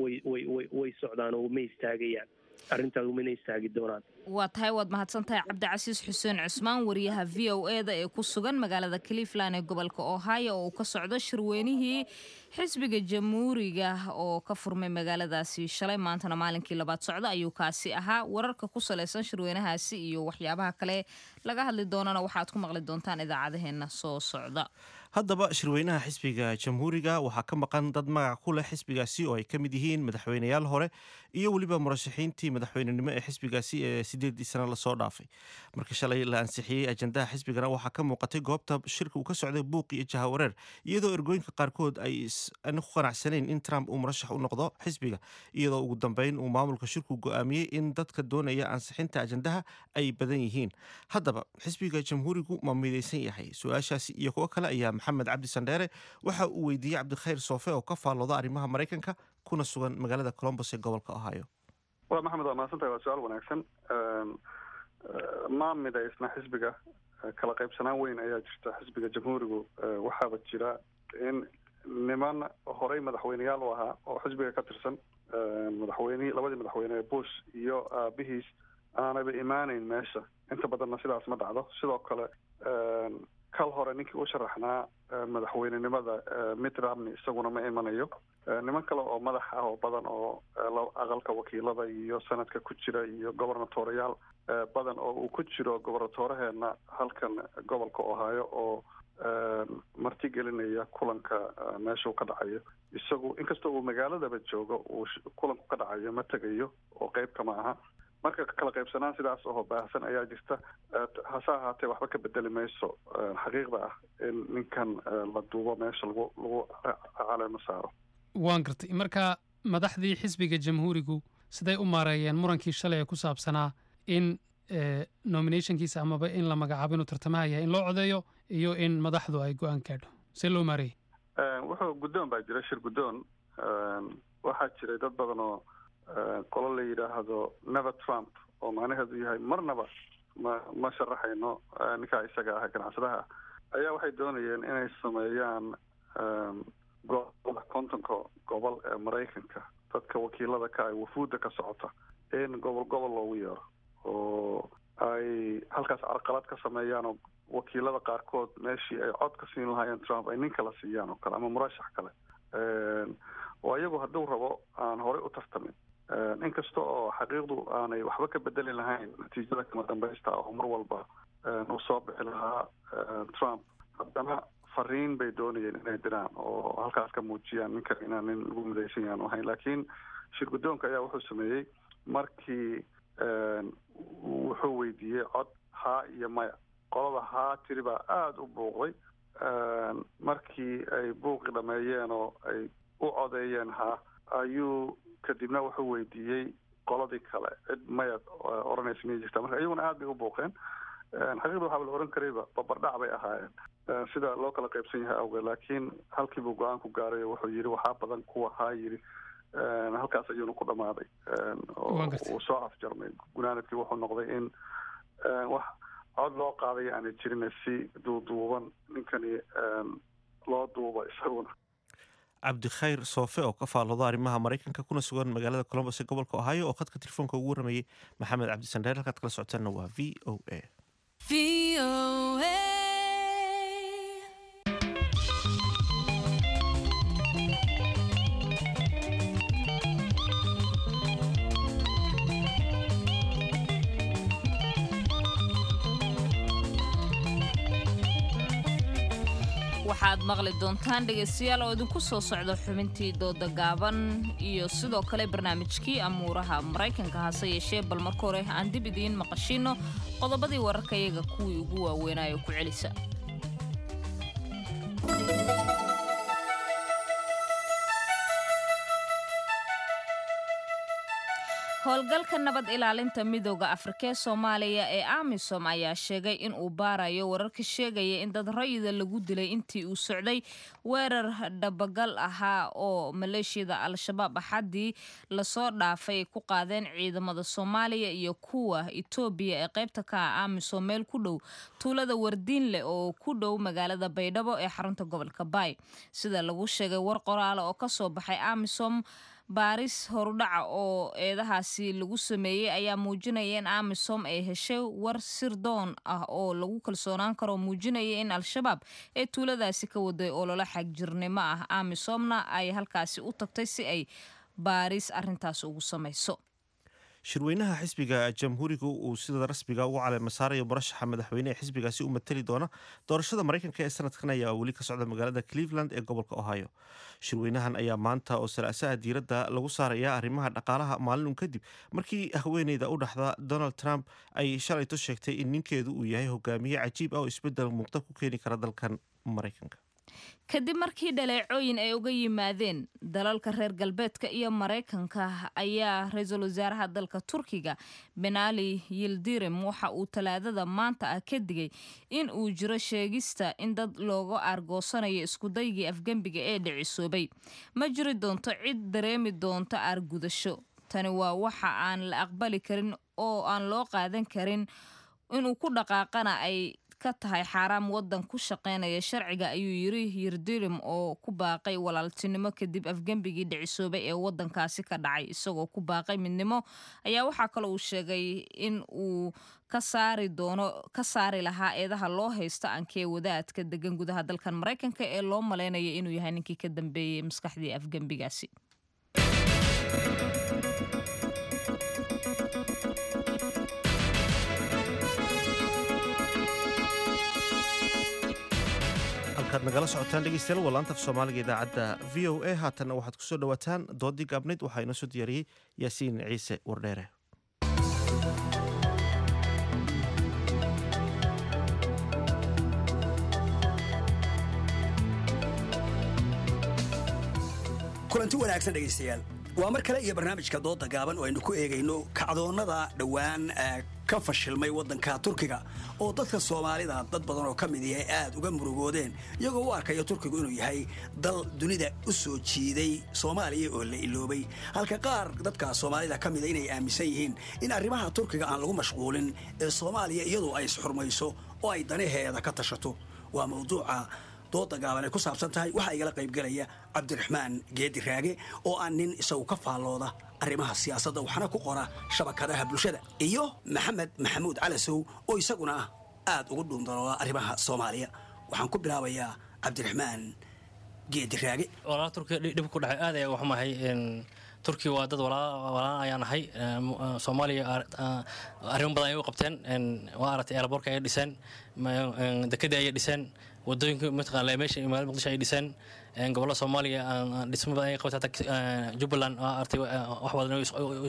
way way way way socdaan oo ma istaagayaan, arrintaas umana istaagi doonaan. Waa tahay, waad mahadsan tahay, Cabdicasiis Xuseen Cusmaan, wariyaha V O E da ee ku sugan magaalada Cleveland ee gobolka Ohio oo uu ka socdo shirweynihii xisbiga Jamhuuriga oo ka furmay magaaladaasi shalay, maantana maalinkii labaad socda ayuu kaasi ahaa. Wararka ku salaysan shirweynahaasi iyo waxyaabaha kale laga hadli doonana waxaad ku maqli doontaan idaacadaheena soo socda. Haddaba shirweynaha xisbiga Jamhuuriga waxaa ka maqan dad magac ku leh xisbigaasi oo ay ka mid yihiin madaxweyneyaal hore iyo weliba murashaxiintii madaxweynenimo ee xisbigaasi ee sideedii sano lasoo dhaafay. Marka shalay la ansixiyey ajandaha xisbigana, waxaa ka muuqatay goobta shirka uu ka socday buuq iyo jahawareer, iyadoo ergooyinka qaarkood ay ku qanacsanayn in Trump uu murashax u noqdo xisbiga, iyadoo ugu dambeyn uu maamulka shirku go'aamiyey in dadka doonaya ansixinta ajandaha ay badan yihiin. Haddaba xisbiga Jamhuurigu ma midaysan yahay? Su-aashaasi iyo kuwo kale ayaa Maxamed Cabdi Sandheere waxa uu weydiiyey Cabdikhayr Soofe oo ka faallooda arrimaha Maraykanka kuna sugan magaalada Columbus ee gobolka Ohio. Waa Maxamed, waa mahadsantahay, waa su-aal wanaagsan. Ma midaysna xisbiga, kala qaybsanaan weyn ayaa jirta xisbiga Jamhuurigu. Waxaaba jira in niman horey madaxweyneyaal u ahaa oo xisbiga ka tirsan, madaxweynihii, labadii madaxweyne ee Bush iyo aabihiis, aanaba imaaneyn meesha. Inta badanna sidaas ma dhacdo. Sidoo kale kal hore ninkii u sharaxnaa madaxweynenimada, Mitt Romney, isaguna ma imanayo. Niman kale oo madax ah oo badan oo aqalka wakiilada iyo sanadka ku jira iyo gobernatoreyaal badan oo uu ku jiro gobernatoraheena halkan gobolka Ohio oo marti gelinaya kulanka meeshuu ka dhacayo, isagu inkastoo uu magaaladaba joogo uu kulanku ka dhacayo ma tegayo oo qeyb kama aha. Marka kala qaybsanaan sidaas oo baahsan ayaa jirta. Hase ahaatee waxba ka bedeli mayso xaqiiqda ah in ninkan la duubo meesha lagu lagu caleemo saaro. Waan gartay. Marka madaxdii xisbiga Jamhuurigu siday u maareeyeen murankii shalay ee ku saabsanaa in nominationkiisa amaba in la magacaabo inuu tartamaha yahay in loo codeeyo iyo in madaxdu ay go-aan gaadho? See loo maareeyey? Wuxuu guddoon baa jira, shir guddoon. Waxaa jiray dad badan oo qolo la yidhaahdo Never Trump, oo macnaheedu yahay marnaba ma ma sharaxayno ninkaa isaga ah ganacsadaha, ayaa waxay doonayeen inay sameeyaan gobolada, kontonka gobol ee Maraykanka, dadka wakiilada ka ay wafuudda ka socota in gobol gobol loogu yeero oo ay halkaas carqalad ka sameeyaan, oo wakiilada qaarkood meeshii ay cod ka siin lahaayeen Trump ay nin kala siiyaan oo kale ama murashax kale oo iyagu hadduu rabo aan horey u tartamin, inkasta oo xaqiiqdu aanay waxba ka bedeli lahayn natiijada kama dambaysta oo mar walba uu soo bixi lahaa Trump. Haddana fariin bay doonayeen inay diraan oo halkaas ka muujiyaan ninkan inaan nin lagu midaysan yahan ahayn. Laakiin shir guddoonka ayaa wuxuu sameeyey markii wuxuu weydiiyey cod haa iyo maya. Qolada haa tiri baa aada u buuqday. Markii ay buuqi dhameeyeen oo ay u codeeyeen haa, ayuu kadibna wuxuu weydiiyey qoladii kale cid maya odhanaysa miyay jirtaa. Marka iyaguna aada bay u buuqeen. Xaqiiqda waxaaba la ohan karayba babardhac bay ahaayeen sida loo kala qaybsan yahay awgeed, laakiin halkiibuu go-aan ku gaaray oo wuxuu yidhi waxaa badan kuwa haa yidhi. Halkaas ayuuna ku dhamaaday oo uu soo afjarmay. Gunaanadkii wuxuu noqday in wax cod loo qaaday aanay jirin, si duuduuban ninkani loo duubo isaguna. Cabdikhayr Soofe oo ka faallooda arrimaha Maraykanka kuna sugan magaalada Columbus ee gobolka Ohio oo khadka telefoonka ugu waramayey Maxamed Cabdi Sandheer. Halkaad kala socotaanna waa V O A. Waxaad maqli doontaan dhegaystayaal oo idinku soo socda xubintii dooda gaaban iyo sidoo kale barnaamijkii amuuraha Maraykanka, hase yeeshee bal marka hore aan dib idiin maqashiino qodobadii wararka iyaga kuwii ugu waaweynaayo ku celisa. Howlgalka nabad ilaalinta midooda Afrika ee Soomaaliya ee AMISOM ayaa sheegay in uu baarayo wararka sheegaya in dad rayida lagu dilay intii uu socday weerar dhabagal ahaa oo maleeshiyada Al-Shabaab axadii lasoo dhaafay ay ku qaadeen ciidamada Soomaaliya iyo kuwa Itoobiya ee qaybta ka ah AMISOM meel ku dhow tuulada Wardiinle oo ku dhow magaalada Baydhabo ee xarunta gobolka Baay. Sida lagu sheegay war qoraala oo kasoo baxay AMISOM, baaris horudhaca oo eedahaasi lagu sameeyey ayaa muujinaya in AMISOM ay heshay war sirdoon ah oo lagu kalsoonaan karo, muujinaya in Al-Shabaab ee tuuladaasi ka waday ololo xagjirnimo ah, AMISOMna ay halkaasi u tagtay si ay baaris arintaas ugu samayso. Shirweynaha xisbiga Jamhuuriga uu sida rasmiga ugu caleema saarayo murashaxa madaxweyne ee xisbigaasi u matali doona doorashada Maraykanka ee sanadkan ayaa weli ka socda magaalada Cleveland ee gobolka Ohio. Shirweynahan ayaa maanta oo salaasaha diiradda lagu saaraya arrimaha dhaqaalaha, maalin un kadib markii haweeneyda u dhaxda Donald Trump ay shalayto sheegtay in ninkeedu uu yahay hogaamiye cajiib ah oo isbeddel muuqda ku keeni kara dalkan Maraykanka. Kadib markii dhaleecooyin ay uga yimaadeen dalalka reer galbeedka iyo Maraykanka, ayaa ra-iisul wasaaraha dalka Turkiga Benali Yildirim waxa uu Talaadada maanta ah ka digay in uu jiro sheegista in dad looga aargoosanayo iskudaygii afgembiga ee dhicisoobay. Ma jiri doonto cid dareemi doonto aargudasho. Tani waa waxa aan la aqbali karin oo aan loo qaadan karin, inuu ku dhaqaaqana ay ka tahay xaaraam wadan ku shaqeynaya sharciga, ayuu yiri Yildirim oo ku baaqay walaaltinimo kadib afgembigii dhicisoobay ee wadankaasi ka dhacay. Isagoo ku baaqay midnimo ayaa waxaa kale uu sheegay in uu ka saari doono ka saari lahaa eedaha loo haysto ankee wadaadka degan gudaha dalkan Maraykanka ee loo maleynayo inuu yahay ninkii ka dambeeyey maskaxdii afgembigaasi. Halkaad nagala socotaan dhegeystayaal waa laanta af Soomaaliga idaacadda V O A. Haatanna waxaad kusoo dhawaataan doodii gaabnayd. Waxaa inoo soo diyaariyey Yaasiin Ciise Wardheere. Kulanti wanaagsan dhegaystayaal, waa mar kale iyo barnaamijka dooda gaaban oo aynu ku eegayno kacdoonnada dhowaan ka fashilmay waddanka Turkiga oo dadka Soomaalida dad badan oo ka mid ihi ay aad uga murugoodeen, iyagoo u arkaya Turkigu inuu yahay dal dunida u soo jiiday Soomaaliya oo la iloobay, halka qaar dadka Soomaalida ka mida inay aaminsan yihiin in arrimaha Turkiga aan lagu mashquulin ee Soomaaliya iyadu ay isxurmayso oo ay danaheeda ka tashato. Waa mawduuca dooda gaaban ay ku saabsan tahay. Waxaa igala qaybgelaya Cabdiraxmaan Geedi Raage oo ah nin isagu ka faallooda arrimaha siyaasadda waxna ku qora shabakadaha bulshada, iyo Maxamed Maxamuud Calasow oo isaguna aad ugu dhuundalooda arrimaha Soomaaliya. Waxaan ku bilaabayaa Cabdiraxmaan Geedi Raage. Walaala, Turkiga dhib ku dhacay aad ayaa uga xumahay. Turkiga waa dad walaa ayaan ahay. Soomaaliya arrimo badan ayay u qabteen. Waa aragtay, airportka ayay dhiseen, dekadii ayay dhiseen, wadooyinka mataqaana meesha magaalada Muqdisho ay dhiseen, gobollada Soomaaliya dhismo badan ay qabtay, hataa Jubbaland waa aragtay wax badan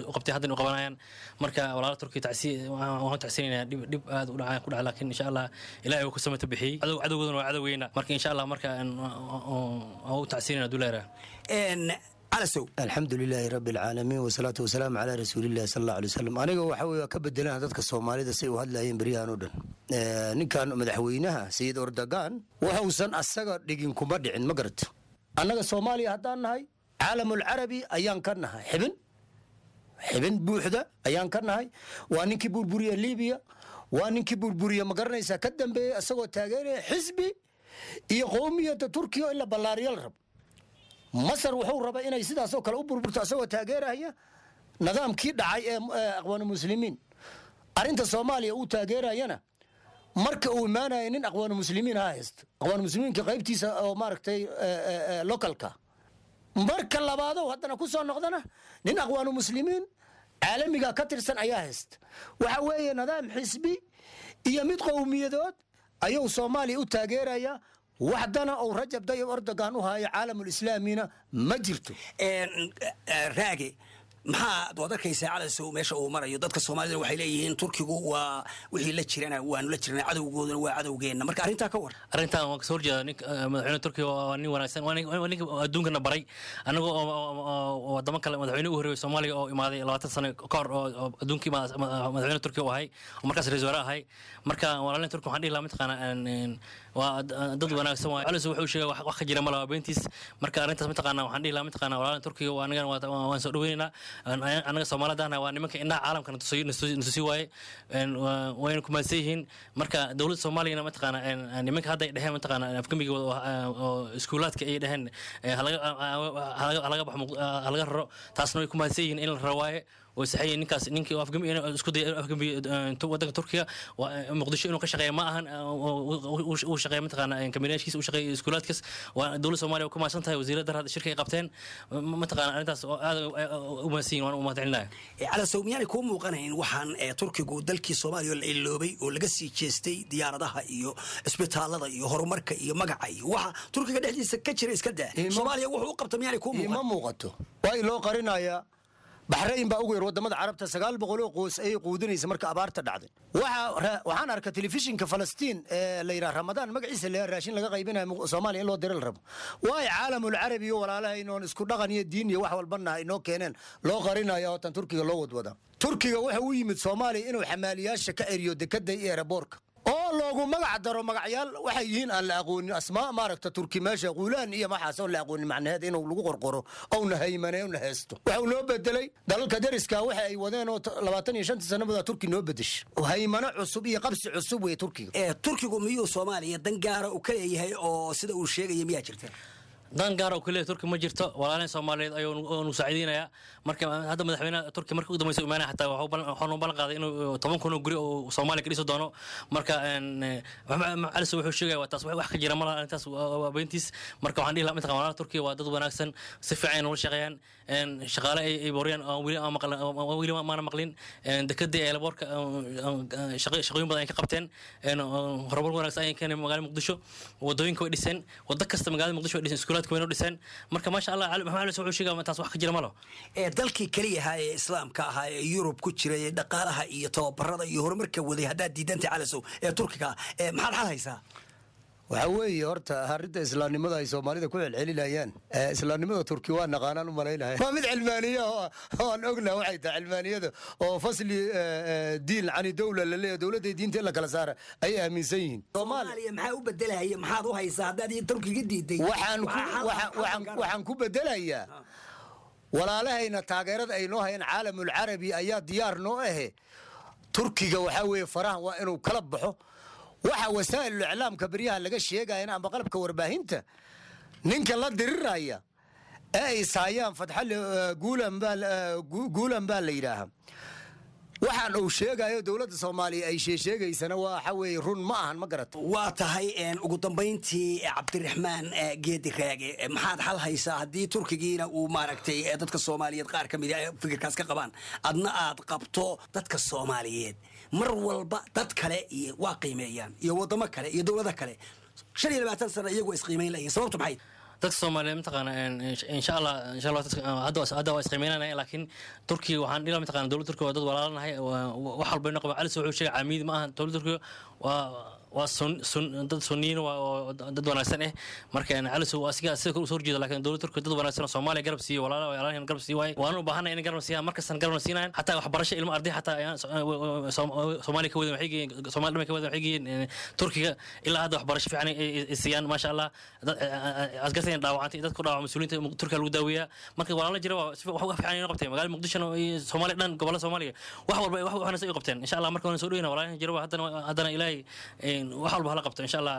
u qabtay, haddana u qabanayaan. Marka walaala Turkiga tacsi waan tacsiinaynaa, dhib dhib aad u dhacay ku dhacay, laakiin insha Allah Ilaahay uu ku samata bixiyey. Cadowgoodana waa cadowgeyna. Marka insha Allah marka aan u tacsiinayna duleera. Alxamdu lilaahi rabi alcaalamiin, wasalaatu wasalaamu calaa rasuulillahi sal alla alay wasalam. Aniga waxa weye waa ka bedelaan dadka Soomaalida say u hadlayeen beryahan oo dhan. Ninkan madaxweynaha Sayid Ordogan waxuusan asaga dhigin kuma dhicin, ma garato. Annaga Soomaaliya haddaan nahay, caalamul carabi ayaan ka nahay, xibin xibin buuxda ayaan ka nahay. Waa ninkii burburiya Libiya, waa ninkii burburiya, ma garanaysaa, ka dambeeyey isagoo taageeraya xisbi iyo qowmiyadda Turkiya in la ballaariyo la rabo. Masar wuxuu rabaa inay sidaasoo kale u burburto asagoo taageeraya nidaamkii dhacay ee Aqwaanu Muslimiin. Arrinta Soomaaliya uu taageerayana, marka uu imaanaya nin Aqwaanu Muslimiin ha haysto, Aqwaanu Muslimiinka qaybtiisa oo maaragtay localka. Marka labaadow haddana ku soo noqdana nin Aqwaanu Muslimiin caalamiga ka tirsan ayaa haysta. Waxa weeye nidaam xisbi iyo mid qowmiyadood ayuu Soomaaliya u taageeraya. Waxdana uu Rajab Dayib Erdogan u hayo caalamulislaamina ma jirto. Raage, maxaa waad arkaysaa Calasow meesha uu marayo? Dadka Soomaalida waxay leeyihiin Turkigu waa wixii la jirana waanu la jirnaa, cadowgooduna waa cadowgeenna. Marka arrintaa ka war. Arrintan waan kasoo horjeeda. Ninka madaxweyne Turkiga waa nin wanaagsan, waa ninka adduunkana baray. Anagoo wadamo kale, madaxweyne u horreeyay Soomaaliya oo imaaday labaatan sano ka hor oo adduunkii madaxweyne Turkiga u ahay oo markaas ra'iisul wasaare ahay. Marka walaalin Turkiga waxaan dhihi lahaa, mataqaana, waa dad wanaagsan. Waa Calasow wuxuu sheegay wax ka jira ma laha, beentiis. Marka arrintaas, mataqaana, waxaan dhihi lahaa, mataqaana, walaalin Turkiga waa anagana waan soo dhaweynaynaa. Anaga Soomaalidana waa nimanka indhaha caalamka natusi waaye, wayna kumaadsan yihiin. Marka dowladda Soomaaliyana, mataqaana, nimanka hadda ay dheheen, mataqaana, afgembigooda oo iskuulaadka ay dheheen halaga baxo, halaga raro, taasna way kumaadsan yihiin in la raro waaye, way saxan. Ninkaas ninkii afgembi isku dayay afgembi wadanka Turkiga, Muqdisho inuu ka shaqeeya ma ahan. Uu shaqeeya, mataqaana, kambineeshkiisa uu shaqeeya iskuulaadkaas. Waa dowladda Soomaaliya ku mahadsan tahay wasiiradda hadda shirka ay qabteen, mataqaana, arrintaas aad u mahadsan yihin, waan u mahadcelinaya. Calasow, miyaanay kuu muuqanayn waxaan Turkigu dalkii Soomaaliya la iloobay oo laga sii jeestay diyaaradaha iyo isbitaalada iyo horumarka iyo magaca iyo waxa Turkiga dhexdiisa ka jira iska daa, Soomaaliya wuxuu u qabta miyaanay kuu muuqan? Ima muuqato. Waa loo qarinayaa. Baxrayn baa ugu yar wadamada Carabta, sagaal boqol oo qoys ayay quudinaysa marka abaarta dhacday. Waxaan arka telefishinka Falastiin ee la yidhaha Ramadaan magaciisa la raashin laga qaybinayo Soomaaliya in loo dira la rabo. Waay caalamul carabi iyo walaalaha oon isku dhaqan iyo diin iyo wax walbana inoo keeneen loo qarinaya oo tan Turkiga loo wadwada. Turkiga wuxuu u yimid Soomaaliya inuu xamaaliyaasha ka eriyo dekada iyo eeraboorka oo loogu magac daro magacyaal waxay yihiin aan la aqoonin, asmaa maaragta Turki meesha quulaan iyo maxaas oon la aqoonin macnaheed inuu lagu qorqoro ouna haymane una heesto. Waxuu noo bedelay dalalka dariska waxa ay wadeen oo labaatan iyo shanta sannadood Turki noo bedeshay, haymano cusub iyo qabsi cusub wey Turkiga. Turkigu miyuu Soomaaliya dan gaara u ka leeyahay oo sida uu sheegaya miyaa jirta? Dan gaar oo kaliya Turki ma jirto. Walaalin Soomaaliyeed ayuu nu saaciideynaya. Marka hadda madaxweynaha Turki markii ugu dambeysay imaanaya xataa waxuu noo ballan qaaday inuu toban kun oo guri oo Soomaaliya ka dhisi doono. Marka Cali wuxuu sheegaya waa taas wax ka jira malaha, arrintaas waa beentiis. Marka waxaan dhihi lahaa, mataqaan, walaalaha Turkiga waa dad wanaagsan, si fiican ay noola shaqeeyaan, shaqaale ay boriyaan weli weli maana maqlin. Dekadii eelaboorka shaqooyin badan ay ka qabteen, horumar wanaagsan ayay keeneen magaalada Muqdisho, wadooyinka way dhiseen, wado kasta magaalada Muqdisho way dhiseen, iskuulaadka wayna dhiseen. Marka maasha Allah, Maxamed Cali wuxuu sheegaya taas wax ka jira malo. Ee dalkii kaliya ahaa ee Islaamka ahaa ee Yurub ku jiray ee dhaqaalaha iyo tababarada iyo horumarka waday haddaad diidantay Calasow ee Turkiga, ee maxaad xal haysaa? Waxaa weeye horta arrinta islaamnimada ay Soomaalida ku celcelinayaan, islaamnimada Turki waa naqaanaan u malaynaya waa mid cilmaaniya oo aan ognaha waxay tahay cilmaaniyada oo fasli diin cani dowla la leeyahay, dowladda diinta in la kala saara ay aaminsan yihiin. Soomaaliya maxaa u bedelaya? Maxaad u haysaa haddaad Turkiga diiday? Waxaan waxaan ku bedelayaa walaalahayna taageerada ay noo hayaan caalamul carabi ayaa diyaar noo ahe. Turkiga waxaa weeye farahan waa inuu kala baxo. Waxa wasaa'ilul iclaamka beryaha laga sheegayana ama qalabka warbaahinta ninka la diriraya ee ay saayaan Fatxale Guulan baa Guulan baa la yidhaahaa, waxaan uu sheegayo dowladda Soomaaliya ay sheegsheegaysana waxa weeye run ma ahan, ma garato. Waa tahay. Ugu dambayntii, Cabdiraxmaan Geedi Raage, maxaad xal haysaa haddii Turkigiina uu maaragtay dadka Soomaaliyeed qaar ka mid a fikirkaas ka qabaan, adna aad qabto? Dadka Soomaaliyeed mar walba dad kale iyo waa qiimeeyaan iyo waddamo kale iyo dowlado kale, shan iyo labaatan sana iyagu waa isqiimeyn layihin, sababtu maxay? Dadka Soomaaliyeed, mataqaana, insha Allah, insha Allah hadda hadda waa isqiimeynanaya. Laakiin Turkiga waxaan dhihi, mataqaana, dowladda Turkiga waa dad walaalanahay, wax walba inoo qaba. Cali wuxuu sheegay camiid ma ahan. Dowladda Turkiga waa waa sun sun dad sunniyiin, waa dad wanaagsan eh. Marka Cali waa asiga sida kale usoo horjeeda, laakiin dowladda Turkiga dad wanaagsan oo Soomaaliya garab siiyo, walaala walaalahan garab siiyo waaye. Waana u baahanay inay garab siiyaan, markastan garabna siinayan. Xataa waxbarasho ilmo arday xataa ayaan Soomaaliya ka wadan waxay geeyeen, Soomaaliya dhamay ka wadan waxay geeyeen Turkiga. Ilaa hadda waxbarasho fiican ay siiyaan, maasha Allah. Askartan dhaawacantay, dadku dhaawac mas-uuliyiinta Turkiga lagu daaweeyaa. Marka walaala jira waa wax fiican inoo qabteen magaalada Muqdishona iyo Soomaaliya dhan, gobollada Soomaaliya, wax walba wax wanaagsan ay qabteen insha Allah. Marka waan soo dhoweyna walaalahan jira, haddana haddana Ilaahay wax walba hala qabto insha Allah,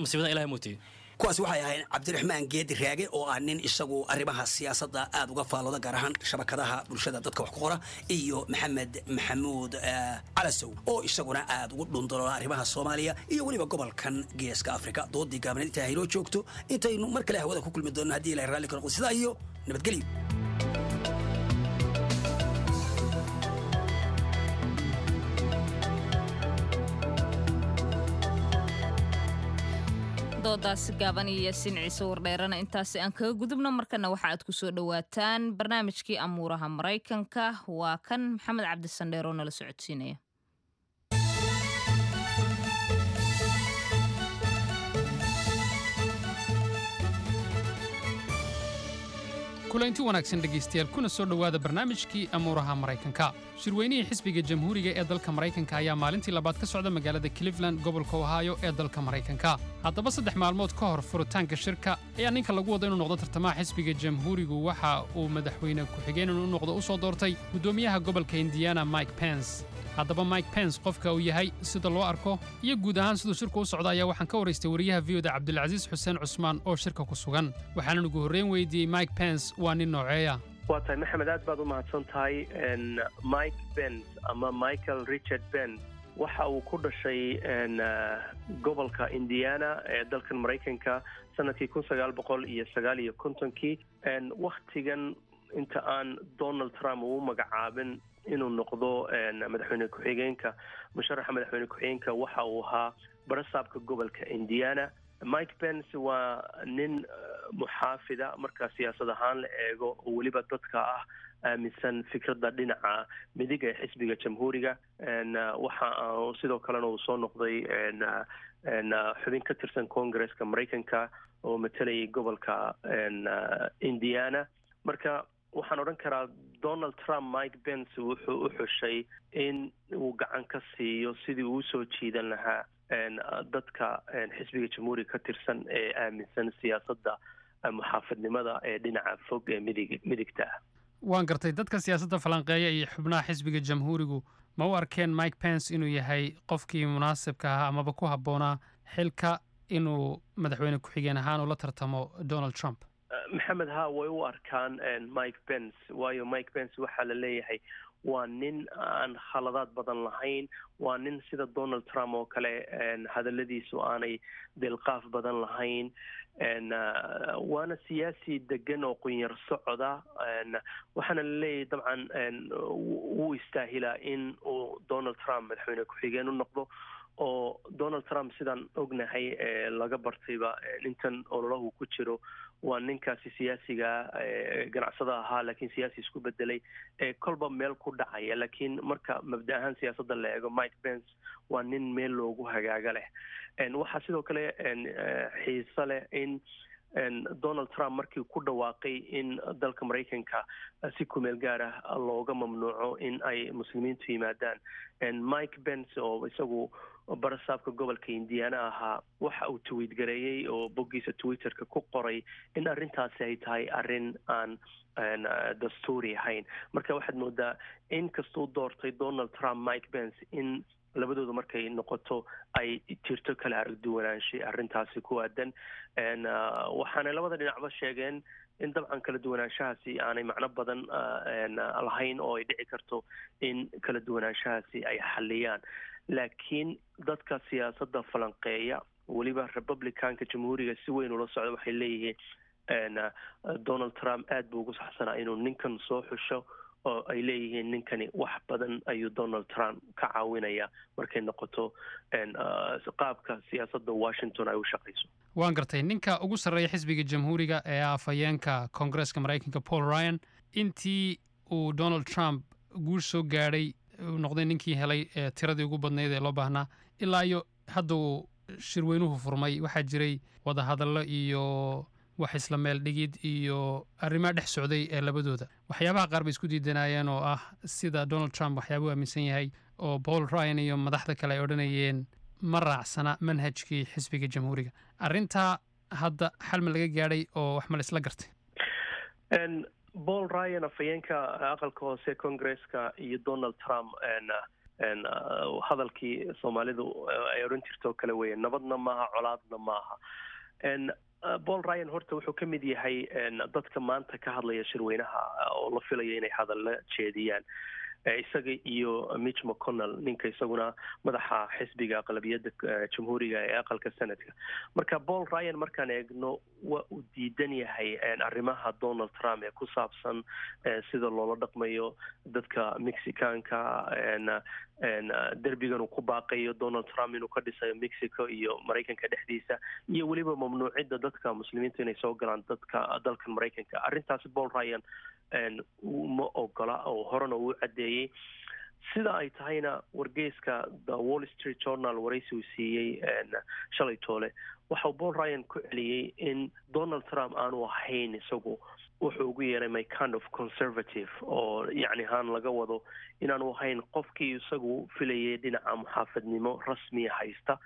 masiibada Ilahay mootiyo. Kuwaasi waxay ahayn Cabdiraxmaan Geedi Raage oo ah nin isagu arrimaha siyaasadda aada uga faallooda, gaar ahaan shabakadaha bulshada dadka wax ku qora, iyo Maxamed Maxamuud Calasow oo isaguna aada ugu dhundaloola arrimaha Soomaaliya iyo weliba gobolkan Geeska Afrika. Doodii gaabneed inta haynoo joogto, intaynu mar kale hawada ku kulmi doonno haddii Ilahay raalli ka noqdo, sidaa iyo nabadgelyo. Doodaasi gaaban iyo Yaasiin Ciise Wardheerana intaasi aan kaga gudubno. Markana waxa aad ku soo dhowaataan barnaamijkii Amuuraha Maraykanka. Waa kan Maxamed Cabdisandheer oo nala socodsiinaya. Kulanti wanaagsan dhegaystayaal, kuna soo dhowaada barnaamijkii Amuuraha Maraykanka. Shirweynihii xisbiga Jamhuuriga ee dalka Maraykanka ayaa maalintii labaad ka socda magaalada Cleveland, gobolka Ohio ee dalka Maraykanka. Haddaba, saddex maalmood ka hor furitaanka shirka ayaa ninka lagu wado inuu noqdo tartamaha xisbiga Jamhuurigu waxa uu madaxweyne ku-xigeen inuu noqdo u soo doortay guddoomiyaha gobolka Indiana, Mike Pence. Haddaba, Mike Pence qofka uu yahay, sida loo arko iyo guud ahaan siduu shirku u socda ayaa waxaan ka waraystay wariyaha V O da Cabdilcasiis Xuseen Cusmaan oo shirka ku sugan. Waxaanan ugu horreyn weydiiyey, Mike Pence waa nin nooceeya? Waa tahay Maxamed, aad baad u mahadsan tahay. Mike Pence ama Michael Richard Pence waxa uu ku dhashay gobolka Indiana ee dalkan Maraykanka sanadkii kun sagaal boqol iyo sagaal iyo kontonkii. Wakhtigan inta aan Donald Trump uu magacaabin inuu noqdo madaxweyne ku-xigeenka, musharaxa madaxweyne ku-xigeenka, waxa uu ahaa barasaabka gobolka Indiana. Mike Pence waa nin muxaafida marka siyaasad ahaan la eego, oo weliba dadka ah aaminsan fikradda dhinaca midig ee xisbiga Jamhuuriga. Waxa sidoo kalena uu soo noqday xubin ka tirsan Congresska Maraykanka oo matalayay gobolka Indiana. Marka waxaan odhan karaa Donald Trump Mike Pence wuxuu u xushay in uu gacan ka siiyo sidii uu usoo jiidan lahaa dadka xisbiga Jamhuuriga ka tirsan ee aaminsan siyaasadda muxaafidnimada ee dhinaca fog ee midig midigta ah. Waan gartay. Dadka siyaasadda falanqeeya iyo xubnaha xisbiga Jamhuurigu ma u arkeen Mike Pence inuu yahay qofkii munaasibka ahaa amaba ku habboonaa xilka inuu madaxweyne ku-xigeen ahaan ula tartamo Donald Trump? Maxamed, ha, way u arkaan Mike Pence, waayo Mike Pence waxaa la leeyahay waa nin aan khaladaad badan lahayn, waa nin sida Donald Trump oo kale hadaladiisu aanay dilqaaf badan lahayn, waana siyaasi degan oo qunyar socoda. Waxaana la leeyahay dabcan wuu istaahilaa in uu Donald Trump madaxweyne ku-xigeen u noqdo, oo Donald Trump sidaan ognahay laga bartayba intan ololahu ku jiro waa ninkaasi siyaasiga ganacsada ahaa laakiin siyaasi isku bedelay ee kolba meel ku dhacaya. Laakiin marka mabda ahaan siyaasadda la eego, Mike Pence waa nin meel loogu hagaaga leh. Waxaa sidoo kale xiiso leh in Donald Trump markii ku dhawaaqay in dalka Maraykanka si kumeel gaar ah looga mamnuuco in ay muslimiintu yimaadaan, Mike Pence oo isagu barasaabka gobolka Indiana ahaa waxa uu tweet gareeyey oo boggiisa Twitterka ku qoray in arrintaasi ay tahay arrin aan dastuuri ahayn. Marka waxaad moodaa in kastuu doortay Donald Trump Mike Pence, in labadooda markay noqoto ay jirto kala aragduwanaanshay arrintaasi ku aadan. Waxaanay labada dhinacba sheegeen in dabcan kala duwanaanshahaasi aanay macno badan lahayn oo ay dhici karto in kala duwanaanshahaasi ay xaliyaan. Laakiin dadka siyaasadda falanqeeya, weliba Republicanka Jamhuuriga si weyn ula socda, waxay leeyihiin Donald Trump aad buu ugu saxsanaa inuu ninkan soo xusho, oo ay leeyihiin ninkani wax badan ayuu Donald Trump ka caawinaya markay noqoto qaabka siyaasadda Washington ay u shaqayso. Waan gartay. Ninka ugu sarreeya xisbiga Jamhuuriga ee afhayeenka Koongareeska Maraykanka, Paul Ryan, intii uu Donald Trump guush soo gaadhay, uu noqday ninkii helay tiradii ugu badnayd ee loo baahnaa, ilaa iyo hadda uu shirweynuhu furmay, waxaa jiray wadahadallo iyo wax isla meel dhigid iyo arrimaha dhex socday ee labadooda. Waxyaabaha qaar bay isku diidanayeen oo ah sida Donald Trump waxyaabuu aaminsan yahay oo Paul Ryan iyo madaxda kale ay odhanayeen ma raacsana manhajkii xisbiga Jamhuuriga. Arrintaa hadda xal ma laga gaadhay oo wax ma la isla gartay? Paul Ryan, afhayeenka aqalka hoose Congresska, iyo Donald Trump hadalkii Soomaalidu ay odhan jirto kale weeye, nabadna maaha, colaadna maaha. Paul Ryan horta wuxuu ka mid yahay dadka maanta ka hadlaya shirweynaha oo la filayo inay hadalla jeediyaan. Isaga iyo Mitch McConnell, ninka isaguna madaxa xisbiga aqlabiyadda jamhuuriga ee aqalka Senadka. Marka Paul Ryan markaan eegno, waa uu diidan yahay arrimaha Donald Trump ee ku saabsan sida loola dhaqmayo dadka Mexicaanka, derbigan uu ku baaqayo Donald Trump inuu ka dhisayo Mexico iyo Maraykanka dhexdiisa, iyo weliba mamnuucidda dadka Muslimiinta inay soo galaan dadka dalkan Maraykanka. Arrintaasi Paul Ryan ma ogola oo horena uu caddeeyey. Sida ay tahayna, wargeyska The Wall Street Journal waraysi uu siiyey shalay toole, waxau Paul Ryan ku celiyey in Donald Trump aanu ahayn isagu wuxuu ugu yeeray "my kind of conservative", oo yacni haan laga wado inaanu ahayn qofkii isagu filayay dhinaca muxaafadnimo rasmiya haysta.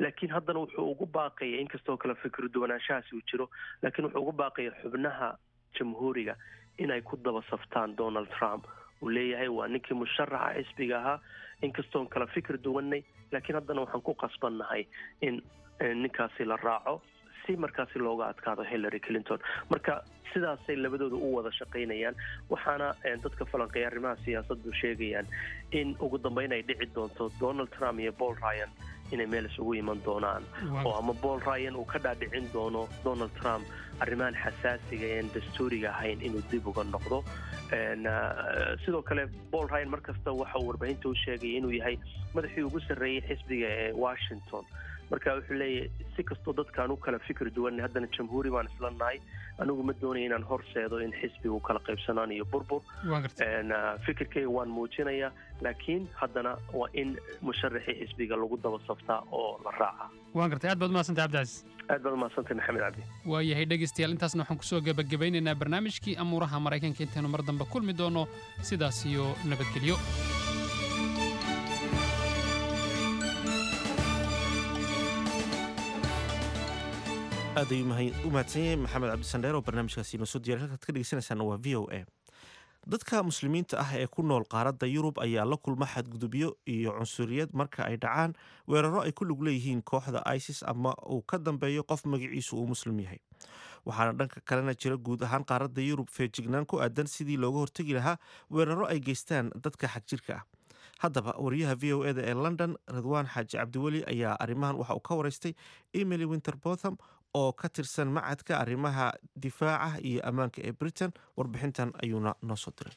Laakiin haddana wuxuu ugu baaqaya, inkastoo kale fikir duwanaanshahaasi uu jiro, laakiin wuxuu ugu baaqaya xubnaha jamhuuriga inay ku daba saftaan Donald Trump. Uu leeyahay waa ninkii musharaxa xisbiga ahaa, inkastoon kala fikir duwanay, laakiin haddana waxaan ku qasbannahay in ninkaasi la raaco si markaasi looga adkaado Hillary Clinton. Marka sidaasay labadooda u wada shaqaynayaan, waxaana dadka falanqeeya arrimaha siyaasaddu sheegayaan in ugu dambeyn ay dhici doonto Donald Trump iyo Paul Ryan inay meel isugu iman doonaan, oo ama Paul Ryan uu ka dhaadhicin doono Donald Trump arrimahan xasaasiga een dastuuriga ahayn inuu dib uga noqdo. Sidoo kale Paul Ryan mar kasta waxa uu warbaahinta u sheegaya inuu yahay madaxii ugu sarreeyey xisbiga ee Washington. Marka wuxuu leeyahay, si kastoo dadkaan u kala fikir duwan, haddana jamhuuri baan isla nahay. Anigu ma doonaya inaan horseedo in xisbigu kala qaybsanaan iyo burbur. Fikirkayga waan muujinayaa, laakiin haddana waa in musharaxii xisbiga lagu daba saftaa oo la raaca. Waan gartay. Aad baad umahadsantay, Cabdicasiis. Aad baad umahadsantay, Maxamed Cabdi. Waayahay dhegaystayaal, intaasna waxaan kusoo gebagabaynaynaa barnaamijkii amuuraha Maraykanka. Intaynu mar dambe kulmi doono, sidaas iyo nabadgelyo. Aad ayuu u mahadsan yahay Maxamed Cabdisandheer oo barnaamijkaasi inoo soo diyaray. Halkaad ka dhegeysanaysaana waa V O A. Dadka Muslimiinta ah ee ku nool qaaradda Yurub ayaa la kulma xadgudubyo iyo cunsuriyad marka ay dhacaan weeraro ay ku lug leeyihiin kooxda ISIS ama uu ka dambeeyo qof magaciisu uu Muslim yahay. Waxaana dhanka kalena jira guud ahaan qaaradda Yurub feejignaan ku aadan sidii looga hortegi lahaa weeraro ay geystaan dadka xagjirka ah. Haddaba wariyaha V O E da ee London, Ridwaan Xaaji Cabdiweli, ayaa arrimahan waxa uu ka waraystay Emily Winterbotham oo ka tirsan macadka arrimaha difaaca iyo ammaanka ee Britain. Warbixintan ayuuna noo soo diray.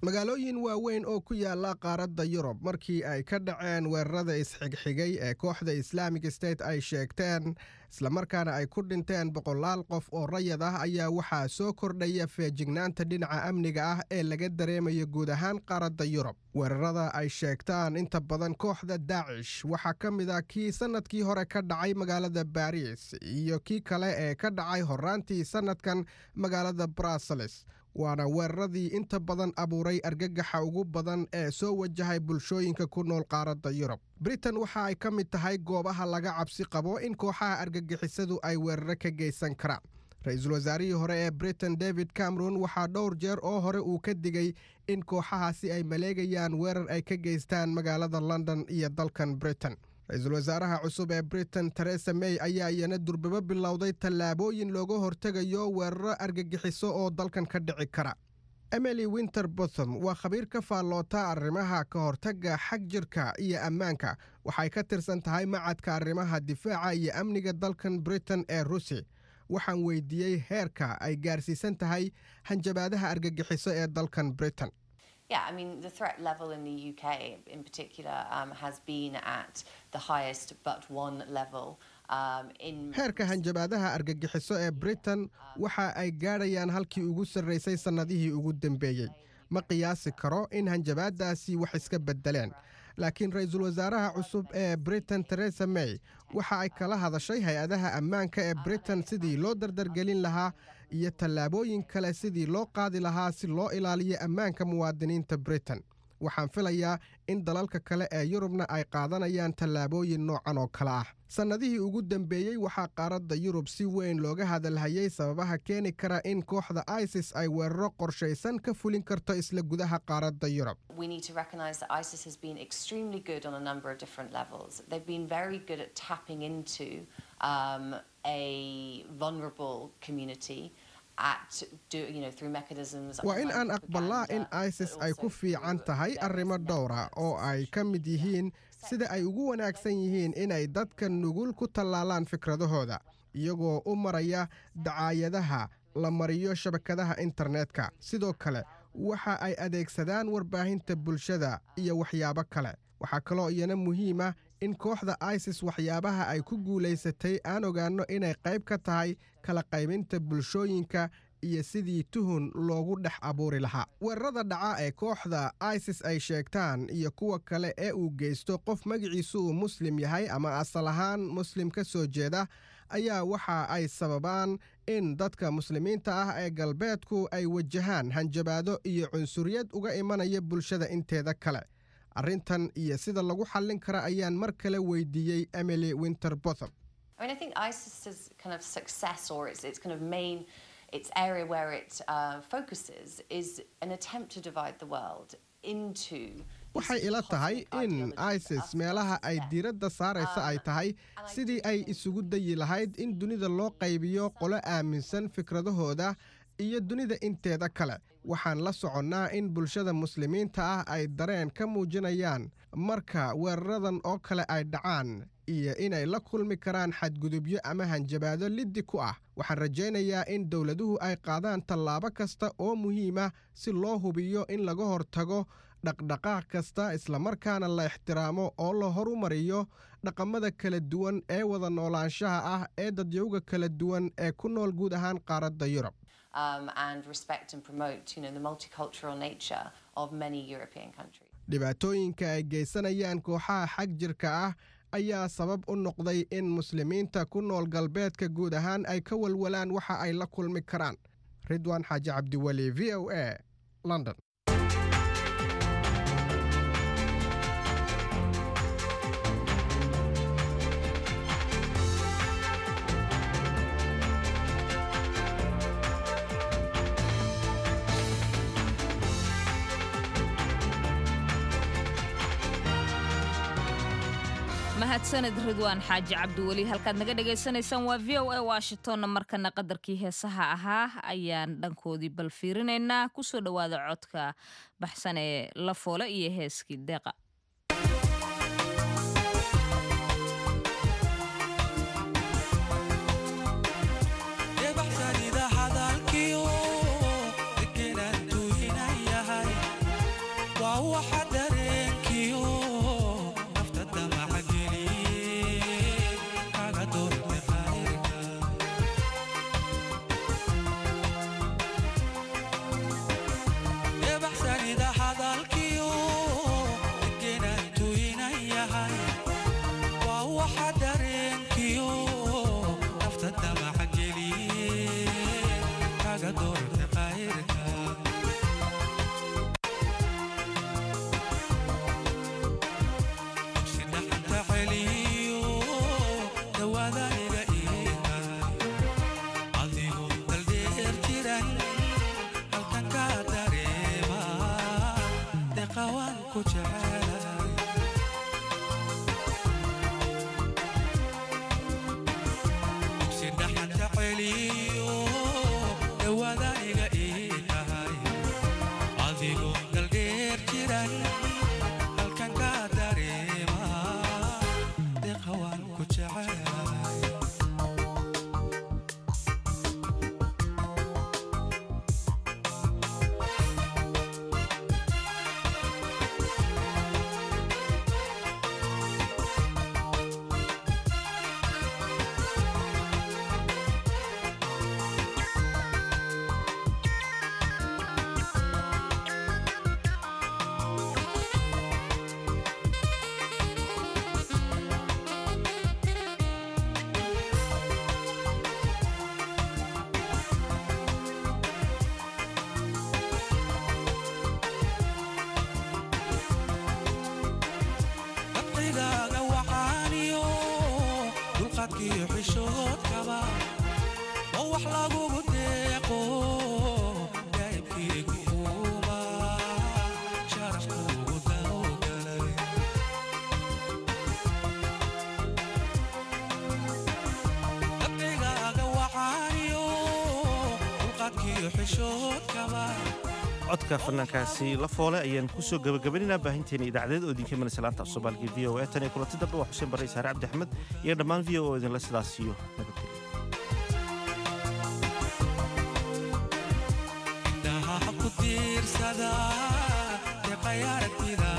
Magaalooyin waaweyn oo ku yaala qaaradda Yurub markii ay ka dhaceen weerarada isxigxigay ee kooxda Islamic State ay sheegteen, islamarkaana ay ku dhinteen boqolaal qof oo rayad ah, ayaa waxaa soo kordhaya feejignaanta dhinaca amniga ah ee laga dareemayo guud ahaan qaaradda Yurub. Weerarada ay sheegtaan inta badan kooxda Daacish waxaa ka mid ah kii sannadkii hore ka dhacay magaalada Baariis iyo kii kale ee ka dhacay horraantii sannadkan magaalada Brussels, waana weeraradii inta badan abuuray argagaxa ugu badan ee soo wajahay bulshooyinka ku nool qaaradda Yurub. Britain waxa ay ka mid tahay goobaha laga cabsi qabo in kooxaha argagixisadu ay weeraro ka geysan karaan. Ra-iisul wasaarihii hore ee Britain, David Cameron, waxaa dhowr jeer oo hore uu ka digay in kooxahaasi ay maleegayaan weerar ay ka geystaan magaalada London iyo dalkan Britain. Ra-iisul wasaaraha cusub ee Britain, Theresa May, ayaa iyana durbabo bilowday tallaabooyin looga hortegayo weeraro argagixiso oo dalkan ka dhici kara. Emily Winterbotham waa khabiir ka faalloota arrimaha ka hortagga xag jirka iyo ammaanka. Waxay ka tirsan tahay macadka arrimaha difaaca iyo amniga dalkan Britain ee RUSI. Waxaan weydiiyey heerka ay gaarsiisan tahay hanjabaadaha argagixiso ee dalkan Britain. Yeah, I mean, the threat level in the U K in particular um, has been at the highest but one level. Um, in Heerka hanjabaadaha argagixiso ee Britain waxa ay gaadhayaan halkii ugu sarraysay sannadihii ugu dambeeyey. Ma qiyaasi karo in hanjabaadaasi wax iska beddeleen, laakiin ra-iisul wasaaraha cusub ee Britain, Theresa May, waxa ay kala hadashay hay-adaha ammaanka ee Britain sidii loo dardargelin lahaa iyo tallaabooyin kale sidii loo qaadi lahaa si loo ilaaliyo ammaanka muwaadiniinta Britain. Waxaan filayaa in dalalka kale ee Yurubna ay qaadanayaan tallaabooyin noocan oo kale ah. Sannadihii ugu dambeeyey waxaa qaaradda Yurub si weyn looga hadalhayay sababaha keeni kara in kooxda ISIS ay weeraro qorshaysan ka fulin karto isla gudaha qaaradda Yurub. We need to recognise that ISIS has been extremely good on a number of different levels. They've been very good at tapping into um, a vulnerable community. at do, you know, through mechanisms. Waa in aan aqbalnaa in ISIS ay ku fiican tahay arrimo dhowra oo ay ka mid yihiin sida ay ugu wanaagsan yihiin inay dadka nugul ku tallaalaan fikradahooda, iyagoo u maraya dacaayadaha la mariyo shabakadaha internetka. Sidoo kale waxa ay adeegsadaan warbaahinta bulshada iyo waxyaabo kale. Waxaa kaloo iyana muhiima in kooxda ISIS waxyaabaha ay ku guulaysatay aan ogaanno inay qayb ka tahay kala qaybinta bulshooyinka iyo sidii tuhun loogu dhex abuuri lahaa. Weerarada dhaca ee kooxda ISIS ay sheegtaan iyo kuwa kale ee uu geysto qof magaciisu uu Muslim yahay ama asal ahaan Muslim ka soo jeeda ayaa waxa ay sababaan in dadka Muslimiinta ah ee galbeedku ay wajahaan hanjabaado iyo cunsuriyad uga imanaya bulshada inteeda kale. Arrintan iyo sida lagu xallin kara ayaan mar kale weydiiyey Emily Winterbotham. I mean, I think ISIS's kind of success or its, its kind of main, its area where it uh, focuses is an attempt to divide the world into Waxay ila tahay in ISIS meelaha ay diiradda saaraysa ay tahay sidii ay isugu dayi lahayd in dunida loo qaybiyo qolo aaminsan fikradahooda iyo dunida inteeda kale. Waxaan la soconnaa in bulshada Muslimiinta ah ay dareen ka muujinayaan marka weeraradan oo kale ay dhacaan iyo inay la kulmi karaan xadgudubyo ama hanjabaado liddi ku ah. Waxaan rajaynayaa in dowladuhu ay qaadaan tallaabo kasta oo muhiima si loo hubiyo in laga hortago dhaqdhaqaaq kasta, islamarkaana la ixtiraamo oo la horumariyo dhaqamada kala duwan ee wada noolaanshaha ah ee dadyowga kala duwan ee ku nool guud ahaan qaaradda Yurub. um, and respect and promote, you know, the multicultural nature of many European countries. Dhibaatooyinka ay geysanayaan kooxaha xag jirka ah ayaa sabab u noqday in Muslimiinta ku nool galbeedka guud ahaan ay ka walwalaan waxa ay la kulmi karaan. Ridwaan Xaaji Cabdiweli, V O A, London. Mahadsanid Ridwaan Xaaji Cabdiweli. Halkaad naga dhagaysanaysaan waa V O A Washingtonna. Markana qadarkii heesaha ahaa ayaan dhankoodii bal fiirinaynaa. Kusoo dhowaada codka baxsan ee La Foole iyo heeskii Deeqa. Codka fanaankaasi la foole ayaan kusoo gabagabaynayna baahinteena idaacadeed oo idinka imanaysa laanta af Soomaaliga V O A. Tan iyo kulanti dambe, waa Xuseen Barre, Saare Cabdi Axmed iyo dhammaan V O O idinla sidaas iyo nabadgelyo. Indhaha ku tiirsada deeqay aragtida.